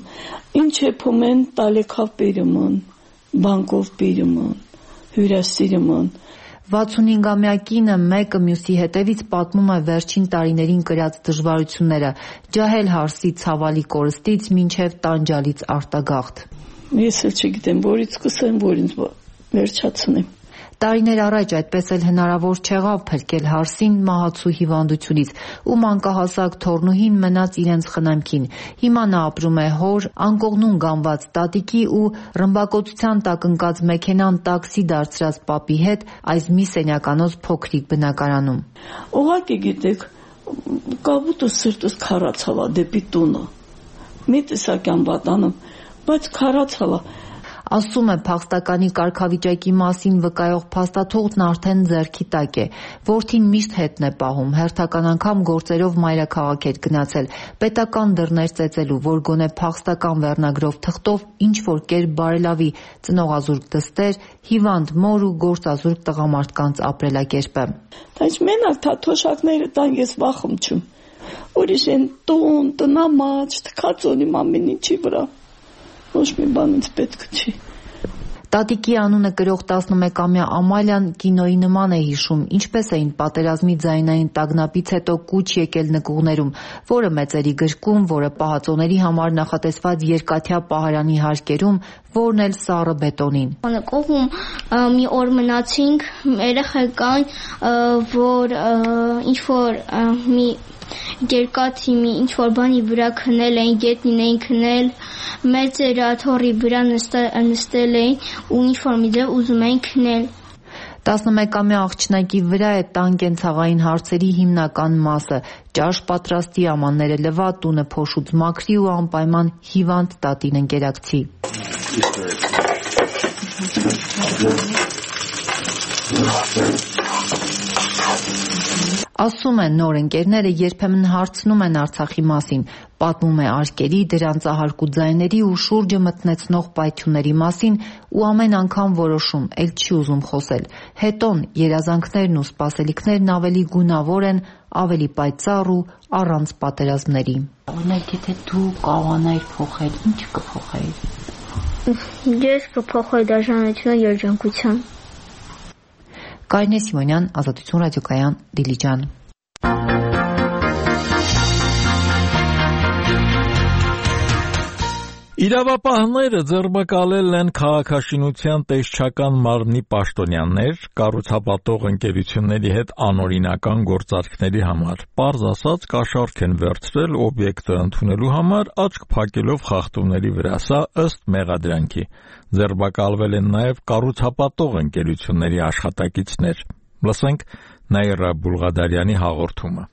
ինչ էփում են տալեքավ բերում, բանկով բերում, հյուրասիրում։ 65-ամյա կինը մեկը մյուսի հետևից պատմում է վերջին տարիներին կրած դժվարությունները, ջահել հարսի ցավալի կորստից մինչև տանջալից արտագաղթ։ Ես էլ չգիտեմ, որից սկսեմ, որից վերջացնեմ։ Տարիներ առաջ այդպես էլ հնարավոր չեղավ փրկել հարսին մահացու հիվանդությունից ու մանկահասակ թորնուհին մնաց իրենց խնամքին։ Հիմա նա ապրում է հոր անկողնուն գանված տատիկի ու ռմբակոծության տակ ընկած մեքենան տաքսի դարձրած պապի հետ այս մի սենյականոց փոքրիկ բնակարանում։ Ուղղակի գիտեք, կապուտը սրտս քարացավ դեպի տունը։ Մի տեսակյան պատանում, բայց քարացավ։ Ասում է փախստականի կարգավիճակի մասին վկայող փաստաթուղթն արդեն ձեռքի տակ է։ Որդին միշտ հետն է պահում, հերթական անգամ գործերով մայրաքաղաք էր գնացել, պետական դռներ ծեծելու, որ գոնե փախստական վերնագրով թղթով ինչ-որ կերպ բարելավի ծնողազուրկ դստեր, հիվանդ մոր ու գործազուրկ տղամարդկանց ապրելակերպը։ Բայց մենակ թաթոշակները տան ես վախում չում։ Ուրիշ են տուն, տնամաչ, թքածոնի ամեն ինչի վրա։ Ոչ մի բան ինձ պետք չի։ Տատիկի անունը կրող 11-ամյա Ամալյան կինոյի նման է հիշում, ինչպես էին պատերազմի ձայնային տագնապից հետո կուչ եկել նկուղներում, որը մեծերի գրկում, որը պահածոների համար նախատեսված երկաթյա պահարանի հարկերում, որն էլ սառը բետոնին։ Կողում մի օր մնացինք, երեխեք կան, որ ինչ-որ մի երկաթի մի ինչ-որ բանի վրա քնել էին, գետնին էին քնել, մեծերը թորի վրա նստել էին ու ինչ-որ մի ձև ուզում էին քնել։ 11-ամյա աղջնակի վրա է տան կենցաղային հարցերի հիմնական մասը՝ ճաշ պատրաստի, ամանները լվա, տունը փոշուց մաքրի ու անպայման հիվանդ տատին ընկերակցի։ Ասում են, նոր ընկերները երբեմն հարցնում են Արցախի մասին, պատմում է արկերի, դրանց ահարկու ձայների ու շուրջը մտնեցնող պայթյունների մասին ու ամեն անգամ որոշում, էլ չի ուզում խոսել։ Հետոն երազանքներն ու սպասելիքներն ավելի գունավոր են, ավելի պայծառ ու առանց պատերազմների։ Օրինակ, եթե դու կարողանայիր փոխել, ինչ կփոխեիր։ Ես կփոխեի դաշնամուրությունը երջանկության։ Կարինե Սիմոնյան, Ազատություն ռադիոկայան, Դիլիջան։ Իրավապահները ձերբակալել են քաղաքաշինության տեսչական մարմնի պաշտոնյաներ կառուցապատող ընկերությունների հետ անօրինական գործարքների համար։ Պարզ ասած, կաշառք են վերցրել օբյեկտը ընդունելու համար, աչք փակելով խախտումների վրա, սա ըստ մեղադրանքի։ Ձերբակալվել են նաև կառուցապատող ընկերությունների աշխատակիցներ։ Լսենք Նաիրա Բուլղադարյանի հաղորդումը։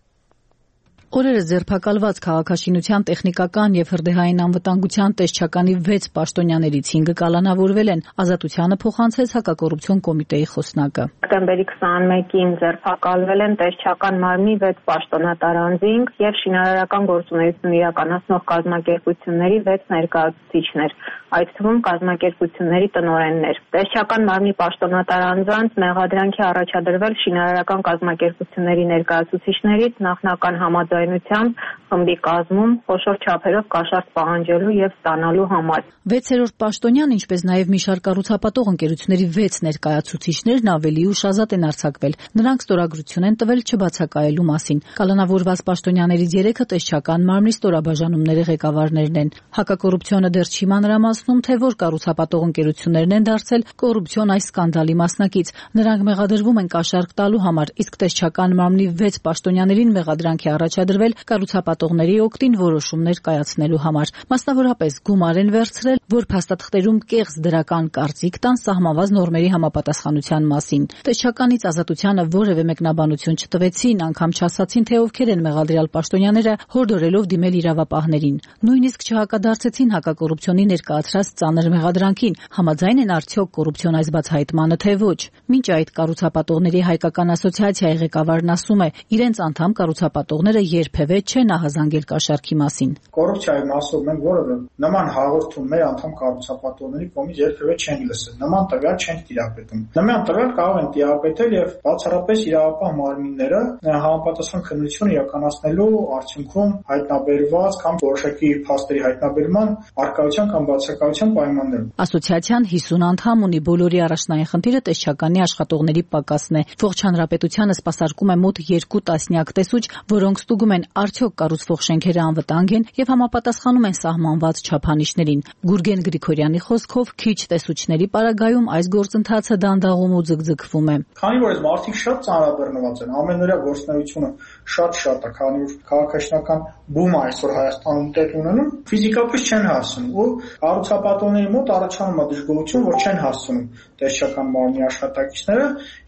Օրերս ձերբակալված քաղաքաշինության տեխնիկական եւ հրդեհային անվտանգության տեսչականի 6 պաշտոնյաներից 5-ը կալանավորվել են, Ազատությանը փոխանցեց հակակոռուպցիոն կոմիտեի խոսնակը։ Դեկտեմբերի 21-ին ձերբակալվել են տեսչական մարմնի 6 պաշտոնատար անձինք եւ շինարարական գործունեություն իրականացնող կազմակերպությունների 6 ներկայացուցիչներ, այդ թվում կազմակերպությունների տնօրեններ։ Տեսչական մարմնի պաշտոնատար անձանց մեղադրանքի առաջադրվել շինարարական կազմակերպությունների ներկայացուցիչներից նախնական համաձայնությամբ խմբի կազմում խոշոր չափերով կաշառք պահանջելու եւ ստանալու համար։ 6-րդ պաշտոնյան, ինչպես նաև մի շարք կառուցապատող ընկերությունների 6 ներկայացուցիչներն ավելի ուշ ազատ են արձակվել։ Նրանք ստորագրություն են տվել չբացակայելու մասին։ Կալանավորված պաշտոնյաներից 3-ը տեսչական մարմնի ստորաբաժանումների ղեկավարներն են։ Հակակոռուպցիոնը դեռ չի մանրամասնում, թե որ կառուցապատող ընկերություններն են դարձել կոռուպցիոն այս սկանդալի մասնակից։ Նրանք մեղադրվում են կաշառք տալու համար, իսկ տեսչական մարմնի 6 պաշտոնյաներին մեղադրանք է առաջադրվել կառուցապատողների օգտին որոշումներ կայացնելու համար։ Մասնավորապես գումար են վերցրել, որ փաստաթղթերում կեղծ դրական կարծիք տան սահմանված նորմերի համապատասխանության մասին։ Տեսչականից Ազատությանը որևէ մեկնաբանություն չտվեցին, անգամ չասացին, թե ովքեր են մեղադրյալ պաշտոնյաները, հորդորելով դիմել իրավապահներին։ Նույնիսկ չհակադարձեցին հակակոռուպցիոնի ներկայացրած ծանր մեղադրանքին, համաձայն են արդյոք կոռուպցիոն այս բացահայտմանը, թե ոչ։ Մինչ այդ կառուցապատողների հայկական ասոցիացիայի ղեկավարն ասում է, իրենց անդամ կառուցապատողները երբևէ չեն ահազանգել կաշառքի մասին։ Կոռուպցիայի մասով մենք որևէ նման հաղորդում մեր անդամ կառուցապատողների կողմից երբևէ չենք լսել, նման տվյալ չենք տիրապետում։ Նման տվյալ կարող են տիրապետել եւ բացառապես իրավապահ մարմինները համապատասխան քննություն իրականացնելու արդյունքում հայտնաբերված կամ որոշակի փաստերի հայտնաբերման արկայության կամ բացակայության պայմաններում։ Ասոցիացիան 50 անդամ ունի, բոլորի առաջնային խնդիրը տեսչականի աշխատողների պակասն է։ Ողջ հանրապետությանը սպասարկում է մոտ 2 տասնյակ տեսուչ, որոնք ստուգում են արդյոք կառուցվող շենքերը անվտանգ են եւ համապատասխանում են սահմանված չափանիշներին։ Գուրգեն Գրիգորյանի խոսքով քիչ տեսուչների պարագայում այս գործընթացը դանդաղում ու ձգձգվում է։ Քանի որ այս մարդիկ շատ ծանրաբեռնված են, ամենօրյա գործունեությունը շատ է, քանի որ քաղաքաշինական բումը այսօր Հայաստանում տեղի ունենում, ֆիզիկապես չեն հասնում ու կառուցապատողների մոտ առաջանում է դժգոհություն, որ չեն հասնում տեսչական մարմնի աշխատակիցները,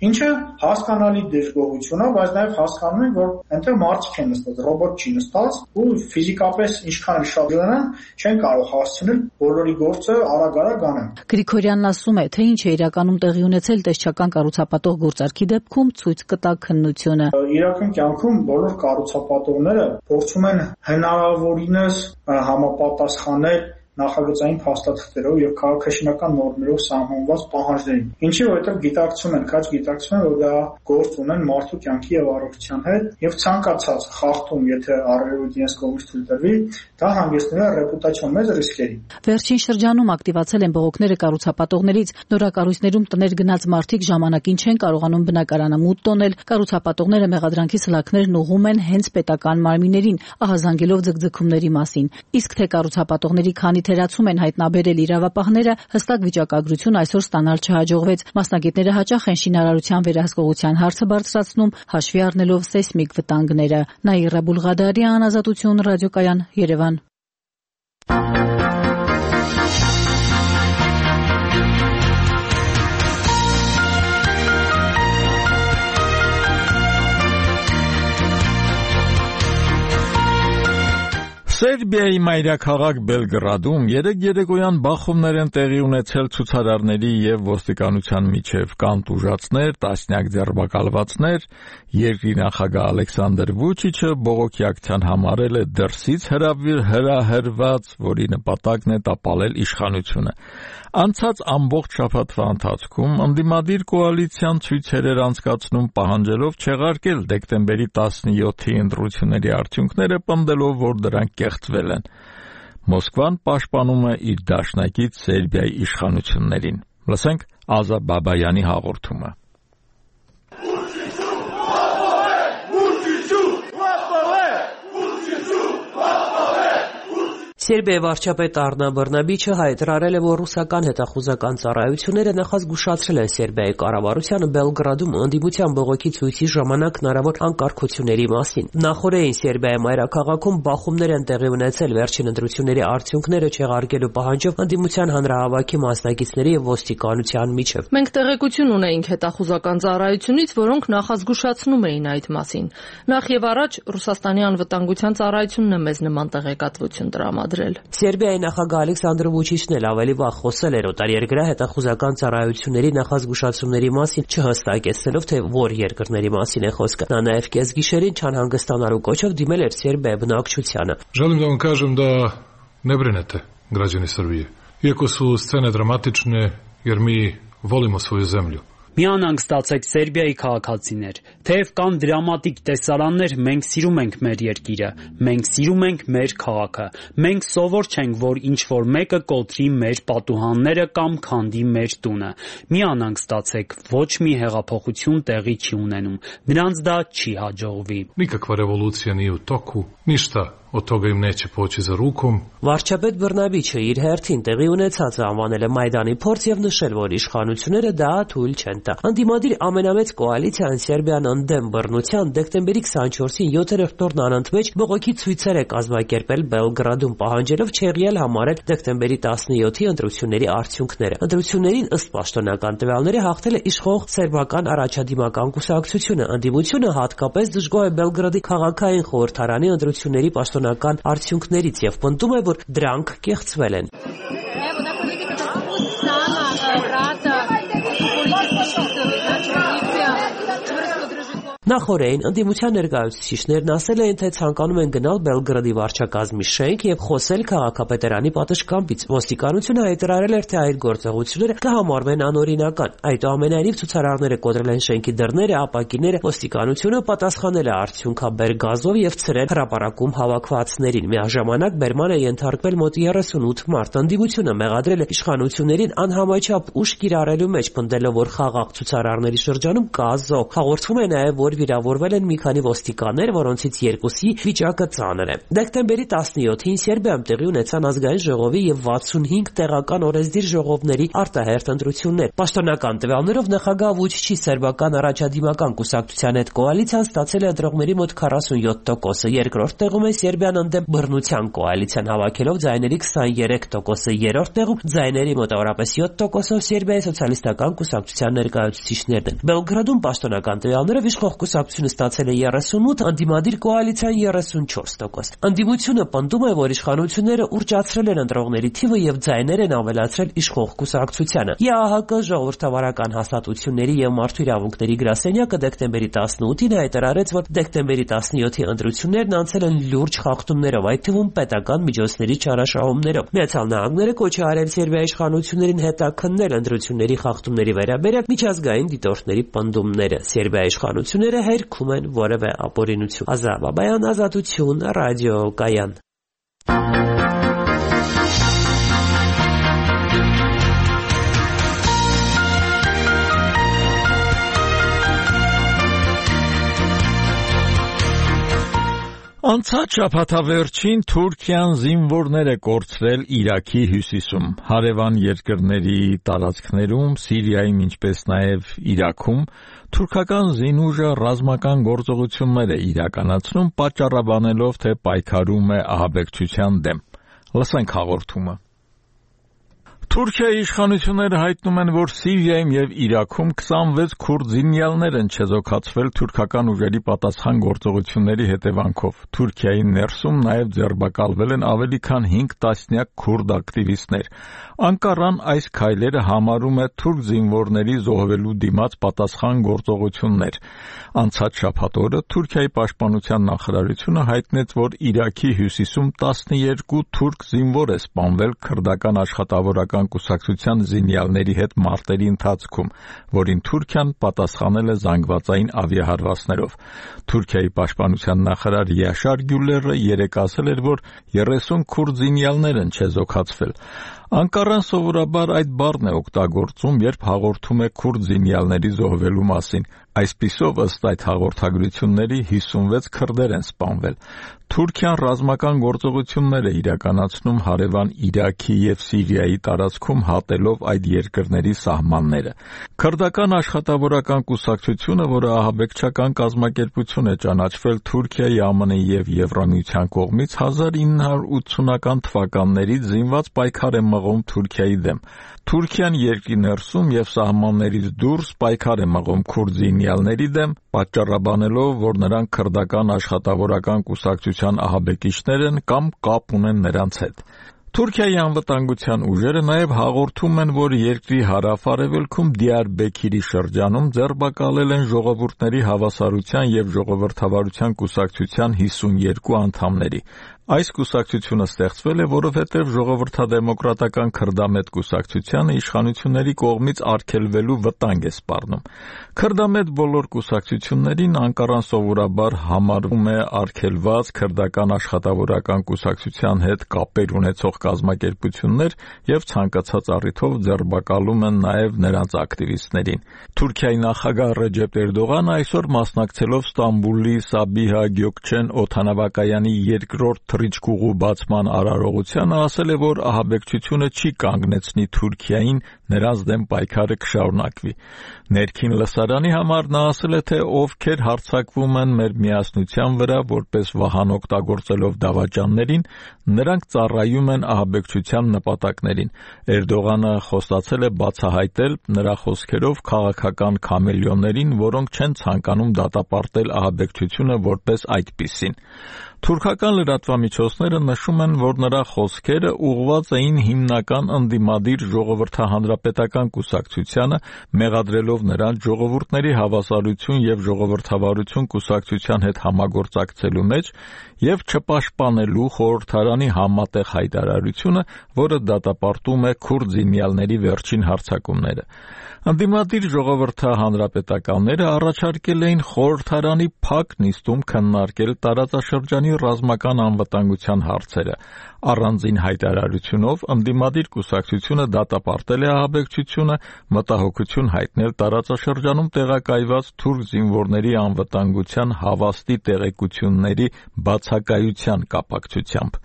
ինչը հասկանալի դժգոհություն է, բայց նաև հասկանում են, որ այնտեղ մարդիկ են նստած, ռոբոտ չի նստած ու ֆիզիկապես ինչքան էլ շատ լինեն, չեն կարող հասցնել բոլորի գործը արագ անեն։ Գրիգորյանն ասում է, թե ինչ է իրականում տեղի ունեցել տեսչական կառուցապատող գործարքի դեպքում ցույց կտա քննությունը։ Իրական կյանքում բոլոր կառուցապատողները փորձում են հնարավորինս համապատասխանել նախագծային փաստաթղթերով եւ քաղաքաշինական նորմերով սահմանված պահանջներին։ Ինչի որովհետեւ գիտակցում են, որ դա գործ ունեն մարդու կյանքի եւ առողջության հետ եւ ցանկացած խախտում, եթե առերևույթ իրենց կողմից թույլ տրվի, դա հանգեցնում է ռեպուտացիոն մեծ ռիսկերի։ Վերջին շրջանում ակտիվացել են բողոքները կառուցապատողներից, նորակառույցներում տներ գնաց մարդիկ ժամանակին չեն կարողանում բնակարանը մուտք տոնել, կառուցապատողները մեղադրանքի սլաքներն ուղղում են հենց պետական մարմիններին, ահազանգելով ձգձգումների մասին։ Իսկ թե կառուցապատողների քանի թերացում են հայտնաբերել իրավապահները, հստակ վիճակագրություն այսօր ստանալ չհաջողվեց։ Մասնագետները հաճախ են շինարարության վերահսկողության հարցը բարձրացնում, հաշվի առնելով սեյսմիկ վտանգները։ Նաիրա Բուլղադարյան, Ազատություն ռադիոկայան, Երևան։ Սերբիայի մայրաքաղաք Բելգրադում երեկոյան բախումներ են տեղի ունեցել ցուցարարների եւ ոստիկանության միջև, կան տուժածներ, տասնյակ ձերբակալվածներ, երկրի նախագահ Ալեքսանդր Վուչիչը բողոքի ակցիան համարել է դրսից հրահրված, որի նպատակն է տապալել իշխանությունը։ Անցած ամբողջ շաբաթվա ընթացքում ընդդիմադիր կոալիցիան ցույցեր էր անցկացնում պահանջելով չեղարկել դեկտեմբերի 17-ի ընտրությունների արդյունքները, պնդելով, որ դրանք կեղծվել են։ Մոսկվան պաշտպանում է իր դաշնակից Սերբիայի իշխանություններին։ Լսենք Ազա Բաբայանի հաղորդումը։ Սերբիայի վարչապետ Արնա Բռնաբիչը հայտարարել է, որ ռուսական հետախուզական ծառայությունները նախազգուշացրել են Սերբիայի կառավարությանը Բելգրադում ընդդիմության բողոքի ցույցի ժամանակ հնարավոր անկարգությունների մասին։ Նախորդին Սերբիայի մայրաքաղաքում բախումներ են տեղի ունեցել վերջին ընտրությունների արդյունքները չեղարկելու պահանջով ընդդիմության հանրահավաքի մասնակիցների եւ ոստիկանության միջև։ Մենք տեղեկություն ունեինք հետախուզական ծառայությունից, որոնք նախազգուշացնում էին այդ մասին։ Նախ եւ առաջ Ռուսաստանի անվտանգության ծառայությունն է մեզ նման տեղեկատվություն տրամադրել։ Սերբիայի նախագահ Ալեքսանդր Վուչիչն էլ ավելի վաղ խոսել էր օտարերկրյա հետախուզական ծառայությունների նախազգուշացումների մասին, չհստակեցնելով, թե որ երկրների մասին է խոսքը։ Նա նաև կեսգիշերին չանհանգստանալու կոչով դիմել էր Սերբիայի բնակչությանը։ Жаль, да вам кажем, да не бринете, граждани Србije. Иако su scene dramatične, jer mi volimo svoju zemlju. Միանանք ստացեք Սերբիայի քաղաքացիներ, թեև կան դրամատիկ տեսարաններ, մենք սիրում ենք մեր երկիրը, մենք սիրում ենք մեր քաղաքը, մենք սովոր չենք, որ ինչ-որ մեկը կոտրի մեր պատուհանները կամ քանդի մեր տունը, միանանք ստացեք, ոչ մի հեղափոխություն տեղի չի ունենում, նրանց դա չի հաջողվի։ Никаква революция не в току, ништа od toga im neće poći za rukom. Վարչապետ Բռնաբիչը իր հերթին տեղի ունեցածը անվանել է Մայդանի փորձ եւ նշել, որ իշխանությունները դա թույլ չեն տա։ Անդիմադիր ամենամեծ կոալիցիան Սերբիան ընդդեմ բռնության դեկտեմբերի 24-ին 7-րդ օրն անընդմեջ բողոքի ցույցեր է կազմակերպել Բելգրադում, պահանջելով չեղյալ համարել դեկտեմբերի 17-ի ընտրությունների արդյունքները։ Ընտրություններին ըստ պաշտոնական տվյալների հաղթել է իշխող սերբական առաջադիմական կուսակցությունը։ Անդիմությունը հատկապես դժգոհ է Բելգրադի քաղաքային խորհրդարանի ընտրությունների պաշտոնական արդյունքներից եւ պնդում է, որ դրանք կեղծվել են։ Նախորդին ընդդիմության ներկայացուցիչներն ասել էին, թե ցանկանում են գնալ Բելգրադի վարչակազմի շենք եւ խոսել քաղաքապետարանի պատշգամբից։ Ոստիկանությունը հայտարարել էր, թե այդ գործողությունները կհամարվեն անօրինական։ Այդուամենայնիվ ցուցարարները կոտրել են շենքի դռները, ապակիները, ոստիկանությունը պատասխանել է արդյունքաբեր գազով եւ ցրել հրապարակում հավաքվածներին։ Միաժամանակ բերման է ենթարկվել մոտ 38 մարդ։ Ընդդիմությունը մեղադրել է իշխանություններին անհամաչափ ուժ կիրառելու մեջ, պնդելով, որ խաղաղ ցուցարարների շրջանում կա զոհ։ Հաղորդվում է նաեւ, որ վիրավորվել են մի քանի ոստիկաններ, որոնցից երկուսի վիճակը ծանր է։ Դեկտեմբերի 17-ին Սերբիայում տեղի ունեցան ազգային ժողովի եւ 65 տեղական օրենսդիր ժողովների արտահերթ ընտրություններ։ Պաշտոնական տվյալներով նախագահ Վուչիչի սերբական առաջադիմական կուսակցության հետ կոալիցիան ստացել է ընտրողների մոտ 47%-ը, երկրորդ տեղում է Սերբիան ընդդեմ բռնության կոալիցիան հավաքելով ձայների 23%-ը, երրորդ տեղում ձայների մոտավորապես 7%-ով Սերբիայի սոցիալիստական կուսակցության ներկայացուցիչներն են։ Բելգրադում պաշտոնական տվյալներով իշխող կուսակցությունը ստացել է 38, ընդդիմադիր կոալիցիան 34%։ Ընդդիմությունը պնդում է, որ իշխանությունները ուռճացրել են ընտրողների թիվը եւ ձայներ են ավելացրել իշխող կուսակցությանը։ ԵԱՀԿ ժողովրդավարական հաստատությունների եւ մարդու իրավունքների գրասենյակը դեկտեմբերի 18-ին հայտարարեց, որ դեկտեմբերի 17-ի ընտրություններն անցել են լուրջ խախտումներով, այդ թվում պետական միջոցների չարաշահումներով։ Միացյալ Նահանգները կոչ է արել Սերբիայի իշխանություններին հետաքննել ընտրությունների խախտումների վերաբերյալ միջազգային դիտորդների պնդումները։ Սերբիայի իշխանությունները հերքում են որևէ ապօրինություն։ Ազա Բաբայան, Ազատություն, ռադիո Կայան։ Անցած շաբաթավերջին Թուրքիան զինվորներ է կորցրել Իրաքի հյուսիսում, հարևան երկրների տարածքներում, Սիրիայում, ինչպես նաև Իրաքում թուրքական զինուժը ռազմական գործողություններ է իրականացնում, պատճառաբանելով, թե պայքարում է ահաբեկչության դեմ։ Լսենք հաղորդումը։ Թուրքիայի իշխանությունները հայտնում են, որ Սիրիայում եւ Իրաքում 26 քուրդ զինյալներ են չեզոքացվել թուրքական ուժերի պատասխան գործողությունների հետևանքով։ Թուրքիայի ներսում նաեւ ձերբակալվել են ավելի քան 5 տասնյակ քուրդ ակտիվիստներ։ Անկարան այս քայլերը համարում է թուրք զինվորների զոհվելու դիմաց պատասխան գործողություններ։ Անցած շաբաթ օրը Թուրքիայի պաշտպանության նախարարությունը հայտնեց, որ Իրաքի հյուսիսում 12 թուրք զինվոր է սպանվել քրդական աշխատավորական կուսակցության զինյալների հետ մարտերի ընթացքում, որին Թուրքիան պատասխանել է զանգվածային ավիահարվածներով։ Թուրքիայի պաշտպանության նախարար Յաշար Գյուլերը երեկ ասել էր, որ 30 քուրդ զինյալներ են չեզոքացվել։ Անկարան սովորաբար այդ բառն է օգտագործում, երբ հաղորդում է քուրդ զինյալների զոհվելու մասին։ Այսպիսով, ըստ այդ հաղորդագրությունների 56 քրդեր են սպանվել։ Թուրքիան ռազմական գործողություններ է իրականացնում հարևան Իրաքի եւ Սիրիայի տարածքում հատելով այդ երկրների սահմանները։ Քրդական աշխատավորական կուսակցությունը, որը ահաբեկչական կազմակերպություն է ճանաչվել Թուրքիայի, ԱՄՆ-ի եւ Եվրամիության կողմից 1980-ական թվականներից զինված պայքար է մղում Թուրքիայի դեմ։ Թուրքիան երկրի ներսում եւ սահմաններից դուրս պայքար է մղում քուրդ զինյալների դեմ, պատճառաբանելով, որ նրանք քրդական աշխատավորական կուսակցության ահաբեկիչներ են կամ կապ ունեն նրանց հետ։ Թուրքիայի անվտանգության ուժերը նաև հաղորդում են, որ երկրի հարավ-արևելքում Դիարբեքիրի շրջանում ձերբակալել են ժողովուրդների հավասարության եւ ժողովրդավարության կուսակցության 52 անդամների։ Այս կուսակցությունը ստեղծվել է, որովհետև ժողովրդադեմոկրատական քրդամետ կուսակցությանը իշխանությունների կողմից արգելվելու վտանգ է սպառնում։ Քրդամետ բոլոր կուսակցություններին Անկարան սովորաբար համարում է արգելված քրդական աշխատավորական կուսակցության հետ կապեր ունեցող կազմակերպություններ եւ ցանկացած առիթով ձերբակալում են նաեւ նրանց ակտիվիստներին։ Թուրքիայի նախագահ Ռեջեփ Էրդողանը այսօր մասնակցելով Ստամբուլի Սաբիհա Գյոքչեն օդանավակայանի երկրորդ թռիչքուղու բացման արարողությանը ասել է, որ ահաբեկչությունը չի կանգնեցնի Թուրքիային, նրանց դեմ պայքարը կշարունակվի։ Ներքին լսարանի համար նա ասել է, թե ովքեր հարձակվում են մեր միասնության վրա որպես վահան օգտագործելով դավաճաններին, նրանք ծառայում են ահաբեկչության նպատակներին։ Էրդողանը խոստացել է բացահայտել նրա խոսքերով քաղաքական քամելիոններին, որոնք չեն ցանկանում դատապարտել ահաբեկչությունը որպես այդպիսին։ Թուրքական լրատվամիջոցները նշում են, որ նրա խոսքերը ուղղված էին հիմնական ընդդիմադիր ժողովրդահանրապետական կուսակցությանը, մեղադրելով նրան ժողովուրդների հավասարություն եւ ժողովրդավարություն կուսակցության հետ համագործակցելու մեջ եւ չպաշտպանելու խորհրդարանի համատեղ հայտարարությունը, որը դատապարտում է քուրդ զինյալների վերջին հարձակումները։ Ընդդիմադիր ժողովրդահանրապետականները առաջարկել էին խորհրդարանի փակ նիստում քննարկել տարածաշրջանի ռազմական անվտանգության հարցերը։ Առանձին հայտարարությունով ընդդիմադիր կուսակցությունը դատապարտել է ահաբեկչությունը, մտահոգություն հայտնել տարածաշրջանում տեղակայված թուրք զինվորների անվտանգության հավաստի տեղեկությունների բացակայության կապակցությամբ։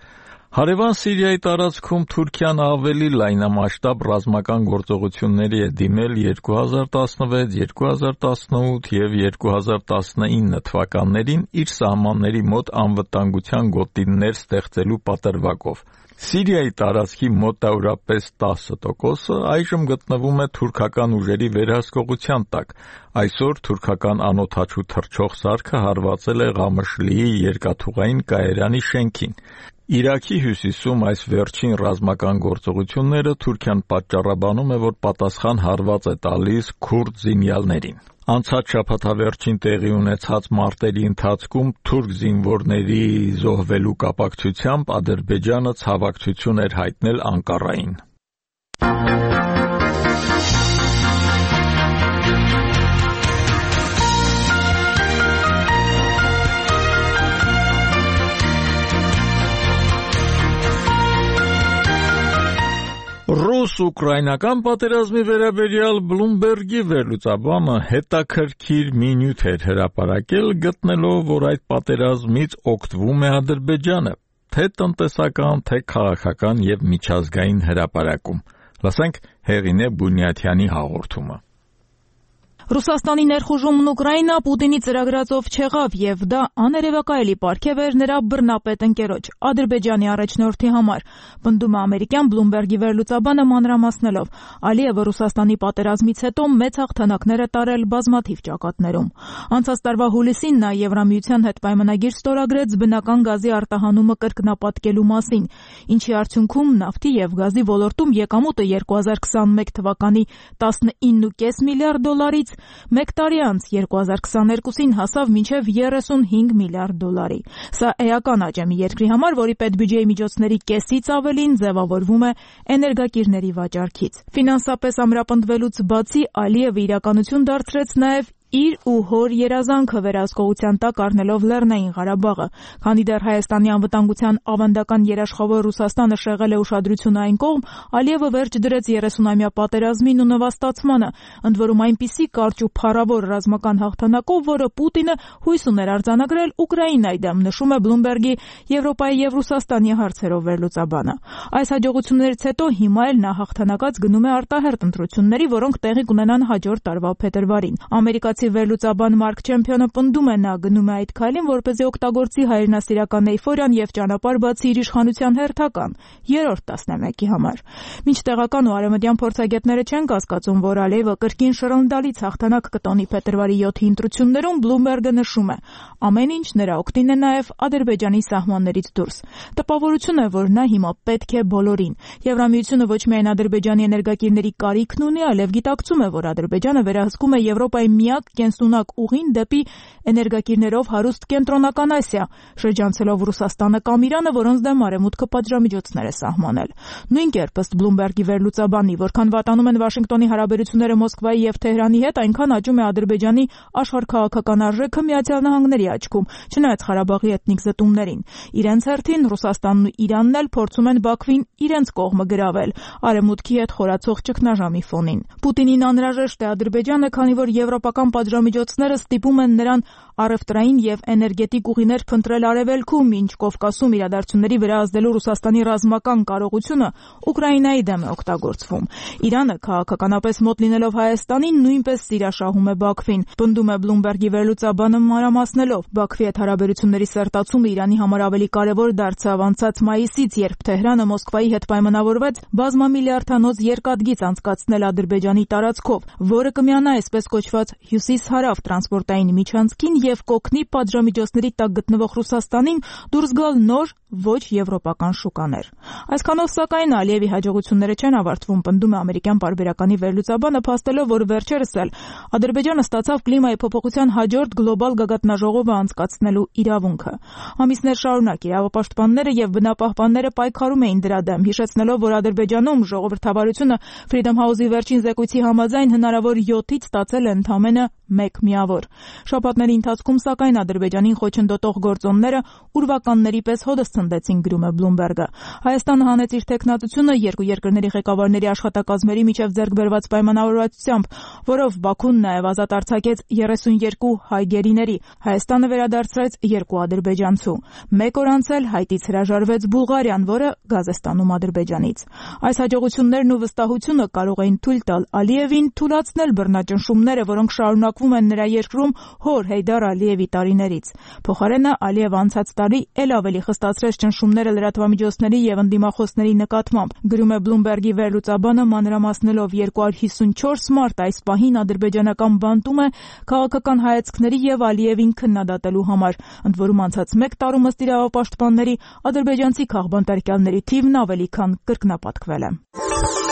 Հարևան Սիրիայի տարածքում Թուրքիան ավելի լայնամասշտաբ ռազմական գործողությունների է դիմել 2016, 2018 եւ 2019 թվականներին իր սահմանների մոտ անվտանգության գոտիներ ստեղծելու պատրվակով։ Սիրիայի տարածքի մոտավորապես 10%-ը այժմ գտնվում է թուրքական ուժերի վերահսկողության տակ։ Այսօր թուրքական անօդաչու թռչող սարքը հարվածել է Ղամշլիի երկաթուղային կայարանի շենքին։ Իրաքի հյուսիսում այս վերջին ռազմական գործողությունները Թուրքիան պատճառաբանում է, որ պատասխան հարված է տալիս քուրդ զինյալներին։ Անցած շաբաթավերջին տեղի ունեցած մարտերի ընթացքում թուրք զինվորների զոհվելու կապակցությամբ Ադրբեջանը ցավակցություն էր հայտնել Անկարային։ Ռուս-ուկրաինական պատերազմի վերաբերյալ Բլումբերգի վերլուծաբանը հետաքրքիր մի նյութ էր հրապարակել, գտնելով, որ այդ պատերազմից օգտվում է Ադրբեջանը, թե տնտեսական, թե քաղաքական եւ միջազգային հրապարակում։ Լսենք Հեղինե Բունյաթյանի հաղորդումը։ Ռուսաստանի ներխուժումն Ուկրաինա Պուտինի ծրագրածով չեղավ եւ դա աներևակայելի պարգև էր նրա բռնապետ ընկերոջ Ադրբեջանի առաջնորդի համար, պնդում է ամերիկյան Bloomberg-ի վերլուծաբանը մանրամասնելով. Ալիևը Ռուսաստանի պատերազմից հետո մեծ հաղթանակներ է տարել բազմաթիվ ճակատներում։ Անցած տարվա հուլիսին նա Եվրամիության հետ պայմանագիր ստորագրեց բնական գազի արտահանումը կրկնապատկելու մասին, ինչի արդյունքում նավթի եւ գազի ոլորտում եկամուտը 2021 թվականի 19.5 միլիարդ դոլարից մեկ տարի անց 2022-ին հասավ մինչև 35 միլիարդ դոլարի։ Սա էական աճ է մի երկրի համար, որի պետբյուջեի միջոցների կեսից ավելին ձևավորվում է էներգակիրների վաճառքից։ Ֆինանսապես ամրապնդվելուց բացի Ալիևը իրականություն դարձրեց նաև իր ու հոր երազանքը վերահսկողության տակ առնելով Լեռնային Ղարաբաղը, քանի դեռ Հայաստանի անվտանգության ավանդական երաշխավոր Ռուսաստանը շեղել է ուշադրությունը այն կողմ, Ալիևը վերջ դրեց 30-ամյա պատերազմին ու նվաստացմանը, ընդ որում այնպիսի կարճ ու փառավոր ռազմական հաղթանակով, որը Պուտինը հույս ուներ արձանագրել Ուկրաինայի դեմ, նշում է Bloomberg-ի Եվրոպայի եւ Ռուսաստանի հարցերով վերլուծաբանը։ Այս հաջողություններից հետո հիմա էլ նա հաղթանակած գնում է արտահերտ ընտրությունների, որոնք տեղի կունենան հաջորդ տարվա փետրվարին։ Ամերիկացի վերլուծաբան Մարկ Չեմփիոնը պնդում է նա գնում է այդ քայլին, որպեսզի օգտագործի հայրենասիրական էյֆորիան եւ ճանապարհ բացի իր իշխանության հերթական երրորդ տասնամյակի համար։ Մինչ տեղական ու արևմտյան փորձագետները չեն կասկածում, որ Ալիևը կրկին շռնդալից հաղթանակ կտոնի փետրվարի 7-ի ընտրություններում, Bloomberg-ը նշում է. ամեն ինչ նրա օգտին է նաեւ Ադրբեջանի սահմաններից դուրս։ Տպավորություն է, որ նա հիմա պետք է բոլորին։ Եվրամիությունը ոչ միայն Ադրբեջանի էներգակիրների կարիքն ունի, այլև գիտակցում է, որ Ադրբեջանը վերահսկում է Եվրոպայի միակ կենսունակ ուղին դեպի էներգակիրներով հարուստ Կենտրոնական Ասիա, շրջանցելով Ռուսաստանը կամ Իրանը, որոնց դեմ Արևմուտքը պատժամիջոցներ է սահմանել։ Նույն կերպ ըստ Bloomberg-ի վերլուծաբանի, որքան վատանում են Վաշինգտոնի հարաբերությունները Մոսկվայի եւ Թեհրանի հետ, այնքան աճում է Ադրբեջանի աշխարհքաղաքական արժեքը Միացյալ Նահանգների աչքում, չնայած Ղարաբաղի էթնիկ զտումներին։ Իրենց հերթին Ռուսաստանն ու Իրանն էլ փորձում են Բաքվին իրենց կողմը գրավել Արևմուտքի հետ խորացող ճգնաժամի ֆոնին։ Պուտինին անհրաժեշտ է Ադրբեջանը, քանի որ եվրոպական պատժամիջոցները ստիպում են նրան առևտրային եւ էներգետիկ ուղիներ փնտրել արևելքում, ինչ Կովկասում իրադարձությունների վրա ազդելու Ռուսաստանի ռազմական կարողությունը Ուկրաինայի դեմ է օգտագործվում։ Իրանը քաղաքականապես մոտ լինելով Հայաստանին նույնպես սիրաշահում է Բաքվին, պնդում է Bloomberg-ի վերլուծաբանը մանրամասնելով. Բաքվի հետ հարաբերությունների սերտացումը Իրանի համար ավելի կարևոր դարձավ անցած մայիսից, երբ Թեհրանը Մոսկվայի հետ պայմանավորվեց բազմամիլիարդանոց երկաթգիծ անցկացնել Ադրբեջանի տարածքով, որը կմիանա այսպես կոչված հյուսիս-հարավ տրանսպորտային միջանցքին եւ կօգնի պատժամիջոցների տակ գտնվող Ռուսաստանին դուրս գալ նոր ոչ եվրոպական շուկաներ։ Այսքանով սակայն Ալիևի հաջողությունները չեն ավարտվում, պնդում է ամերիկյան պարբերականի վերլուծաբանը, փաստելով, որ վերջերս էլ Ադրբեջանը ստացավ կլիմայի փոփոխության հաջորդ գլոբալ գագաթնաժողովը անցկացնելու իրավունքը։ Ամիսներ շարունակ իրավապաշտպանները եւ բնապահպանները պայքարում էին դրա դեմ, հիշեցնելով, որ Ադրբեջանում ժողովրդավարությունը Freedom House-ի վերջին զեկույցի համաձայն հնարավոր 7-ից ստացել է ընդամենը 1 միավոր։ Շաբաթների ընթացքում սակայն Ադրբեջանին խոչընդոտող գործոնները ուրվականների պես հոդս ցնդեցին, գրում է Bloomberg-ը։ Հայաստանը հանեց իր տեխնատությունը երկու երկրների ղեկավարների աշխատակազմերի միջև ձեռք բերված պայմանավորվածությամբ, որով Բաքուն նաև ազատ արձակեց 32 հայ գերիների։ Հայաստանը վերադարձրեց 2 ադրբեջանցու։ Մեկ օր անց էլ Հայտից հրաժարվեց Բուլղարիան, որը գազ է ստանում Ադրբեջանից։ Այս հաջողություններն ու վստահությունը կարող էին թույլ տալ Ալիևին թուլացնել բռնաճնշումները, որոնք շարունակվում են նրա երկրում հոր Հեյդար Ալիևի տարիներից։ Փոխարենը Ալիևը անցած տարի էլ ավելի խստացրեց ճնշումները լրատվամիջոցների եւ ընդդիմախոսների նկատմամբ, գրում է Bloomberg-ի վերլուծաբանը, մանրամասնելով 254 մարտ այս պահին ադրբեջանական բանտում է քաղաքական հայացքների եւ Ալիևին քննադատելու համար, ընդ որում անցած 1 տարում ըստ իրավապաշտպանների ադրբեջանցի քաղբանտարկյալների թիվն ավելի քան կրկնապատկվել է։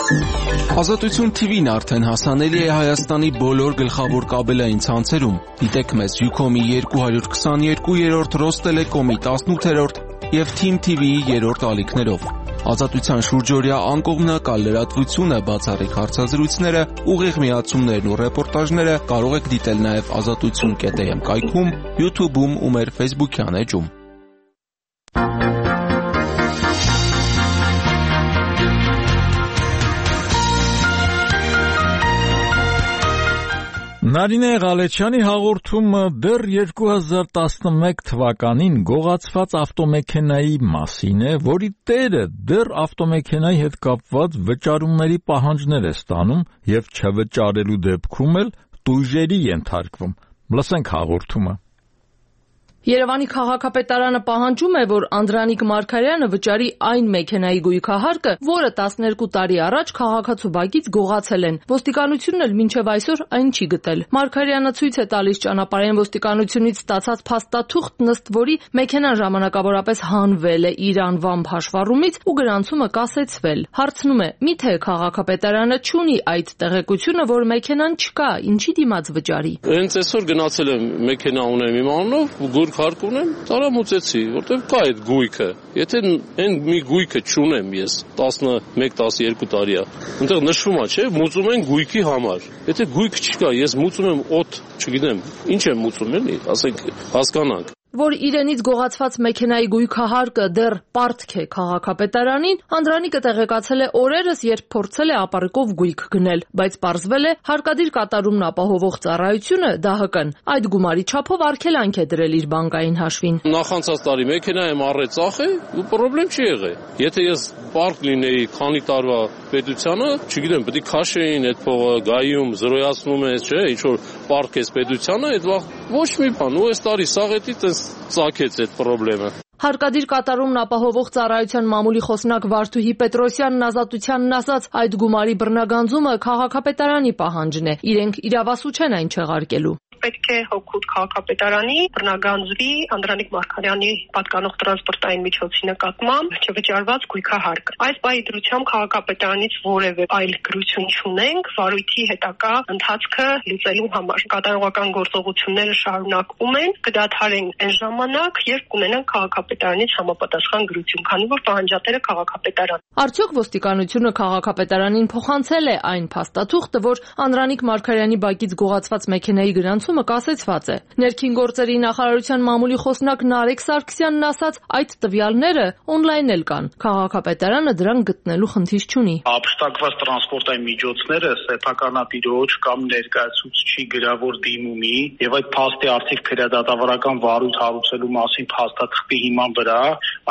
Ազատություն TV-ն արդեն հասանելի է Հայաստանի բոլոր գլխավոր կաբելային ցանցերում։ Դիտեք մեզ Ucom-ի 222-րդ, Ռոստելեկոմի 18-րդ եւ Team TV-ի 3-րդ ալիքներով։ Ազատության շուրջօրյա անկողմնակալ լրատվությունը, բացառիկ հարցազրույցները, ուղիղ միացումներն ու ռեպորտաժները կարող եք դիտել նաև azatutsun.am կայքում, YouTube-ում ու մեր Facebook-յան էջում։ Նարինե Ղալեչյանի հաղորդումը դեռ 2011 թվականին գողացված ավտոմեքենայի մասին է, որի տերը դեռ ավտոմեքենայի հետ կապված վճարումների պահանջներ է ստանում եւ չվճարելու դեպքում էլ տույժերի ենթարկվում։ Լսենք հաղորդումը։ Երևանի քաղաքապետարանը պահանջում է, որ Անդրանիկ Մարգարյանը վճարի այն մեքենայի գույքահարկը, որը 12 տարի առաջ քաղաքացու բակից գողացել են։ Ոստիկանությունն էլ մինչև այսօր այն չի գտել։ Մարգարյանը ցույց է տալիս ճանապարհային ոստիկանությունից ստացած փաստաթուղթ, ըստ որի մեքենան ժամանակավորապես հանվել է իր անվամբ հաշվառումից ու գրանցումը կասեցվել։ Հարցնում է՝ միթե քաղաքապետարանը չունի այդ տեղեկությունը, որ մեքենան չկա, ինչի դիմաց վճարի։ Հենց այսօր գնացել եմ մեքենա ունեմ իմ անունով, Հարկ ունեմ, տարամուծեցի, որտեղ կա այդ գույքը։ Եթե այն մի գույքը չունեմ ես 11-12 տարի է, այնտեղ նշվում է, չէ՞, մուծում են գույքի համար։ Եթե գույք չկա, ես մուծում եմ օդ, չգիտեմ, ինչ եմ մուծում, էլի, ասենք, հասկանանք։ Որ իրենից գողացված մեքենայի գույքահարկը դեռ պարտք է քաղաքապետարանին, Անդրանիկը տեղեկացել է օրերս, երբ փորձել է ապարիկով գույք գնել, բայց պարզվել է հարկադիր կատարումն ապահովող ծառայությունը ԴՀԿ-ն այդ գումարի չափով արգելանք է դրել իր բանկային հաշվին։ Նախանցած տարի մեքենա եմ առել ծախե ու խնդրեմ չի եղել։ Եթե ես պարկ լինեի քանի տարվա պետությանը, չգիտեմ, պետք է քաշեին այդ փողը, գայում զրոյացնում ես, չէ՞, ինչ որ պարկ ես պետությանը, այդ ոչ մի բան, ու այս տարի սաղետի ծագեց այդ խնդրեմը։ Հարկադիր կատարումն ապահովող ծառայության մամուլի խոսնակ Վարդուհի Պետրոսյանն ազատությանն ասաց, այդ գումարի բռնագանձումը քաղաքապետարանի պահանջն է, իրենք իրավասու չեն այն չեղարկելու։ Պետք է հօգուտ քաղաքապետարանի բռնագանձվի Անդրանիկ Մարգարյանի պատկանող տրանսպորտային միջոցի նկատմամբ չվճարված գույքահարկ։ Այս բայի դրությամբ քաղաքապետարանից որևէ այլ գրություն չունենք վարույթի հետագա ընթացքը լուծելու համար։ Կատարողական գործողությունները շարունակվում են, կդադարեն այն ժամանակ, երբ կունենան քաղաքապետարանից համապատասխան գրություն, քանի որ պահանջատերը քաղաքապետարան։ Արդյոք ոստիկանությունը քաղաքապետարանին փոխանցել է այն փաստաթուղթը, որ Անդրանիկ Մարգարյանի բակից գողացված մեքենայի գրանցումը կասեցված է։ Ներքին գործերի նախարարության մամուլի խոսնակ Նարեկ Սարգսյանն ասաց, այդ տվյալները on-line էլ կան։ Քաղաքապետարանը դրանք գտնելու խնդիր չունի։ Ապշտակված տրանսպորտային միջոցները սեփականատիրոջ կամ ներկայացուցչի գրավոր դիմումի եւ այդ փաստի արդիվ քրեադատավարական վարույթ հարուցելու մասին փաստաթղթի հիման վրա,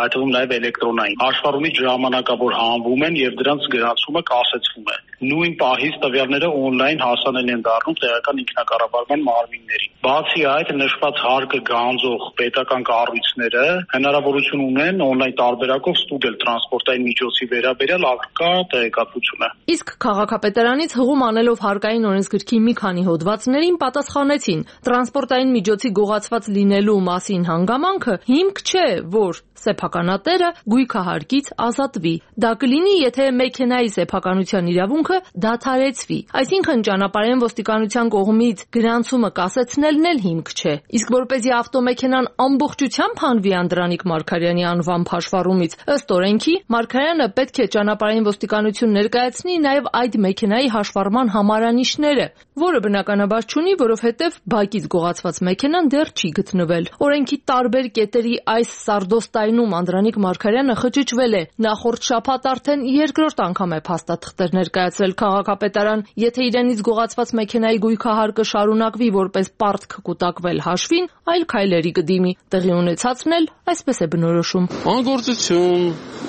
այդ թվում նաեւ էլեկտրոնային հաշվառումից ժամանակավոր հանվում են եւ դրանց գրանցումը կասեցվում է։ Նույն պահից տվյալները on-line հասանելի են դառնում տեղական ինքնակառավարման մարմիններին։ Բացի այդ, նշված հարկը գանձող պետական կառույցները հնարավորություն ունեն on-line տարբերակով ստուգել տրանսպորտային միջոցի վերաբերյալ ակտկա տեղեկատվությունը։ Իսկ քաղաքապետարանից հղում անելով հարկային օրենսգրքի մի քանի հոդվածներին պատասխանեցին, տրանսպորտային միջոցի գողացված լինելու մասին հանգամանքը հիմք չէ, որ սեփականատերը գույքահարկից ազատվի։ Դա կլինի, եթե մեքենայի սեփականության իրավունքը դադարեցվի։ Այսինքն ճանապարհային ոստիկանության կողմից գրանցումը կասեցնելն էլ հիմք չէ։ Իսկ որպեսզի ավտոմեքենան ամբողջությամբ հանվի Անդրանիկ Մարգարյանի անվամբ հաշվառումից, ըստ օրենքի Մարգարյանը պետք է ճանապարհային ոստիկանություն ներկայացնի նաև այդ մեքենայի հաշվառման համարանիշները, որը բնականաբար չունի, որովհետև բակից գողացված մեքենան դեռ չի գտնվել։ Օրենքի տարբեր կետերի այս սարդոստայնում Անդրանիկ Մարգարյանը խճճվել է։ Նախորդ շաբաթ արդեն երկրորդ անգամ է փաստաթղթեր ներկայացրել քաղաքապետարան, եթե իրենից գողացված մեքենայի գույքահարկը շարունակվի որպես պարտք կուտակվել հաշվին, այլ քայլերի կդիմի։ Տեղի ունեցածն էլ այսպես է բնորոշում։ Անգործություն,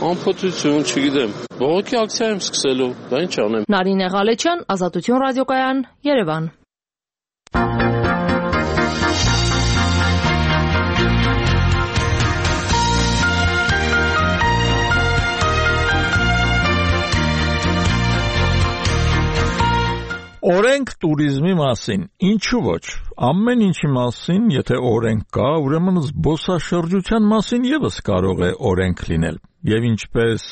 անփոթություն, չգիտեմ, բողոքի ակցիա եմ սկսելու, դա ինչ անեմ։ Նարինե Ղալեչյան, Ազատություն ռադիոկայան, Երևան։ Օրենք տուրիզմի մասին, ինչու ոչ, ամեն ինչի մասին, եթե օրենք կա, ուրեմն զբոսաշրջության մասին ևս կարող է օրենք լինել, եւ ինչպես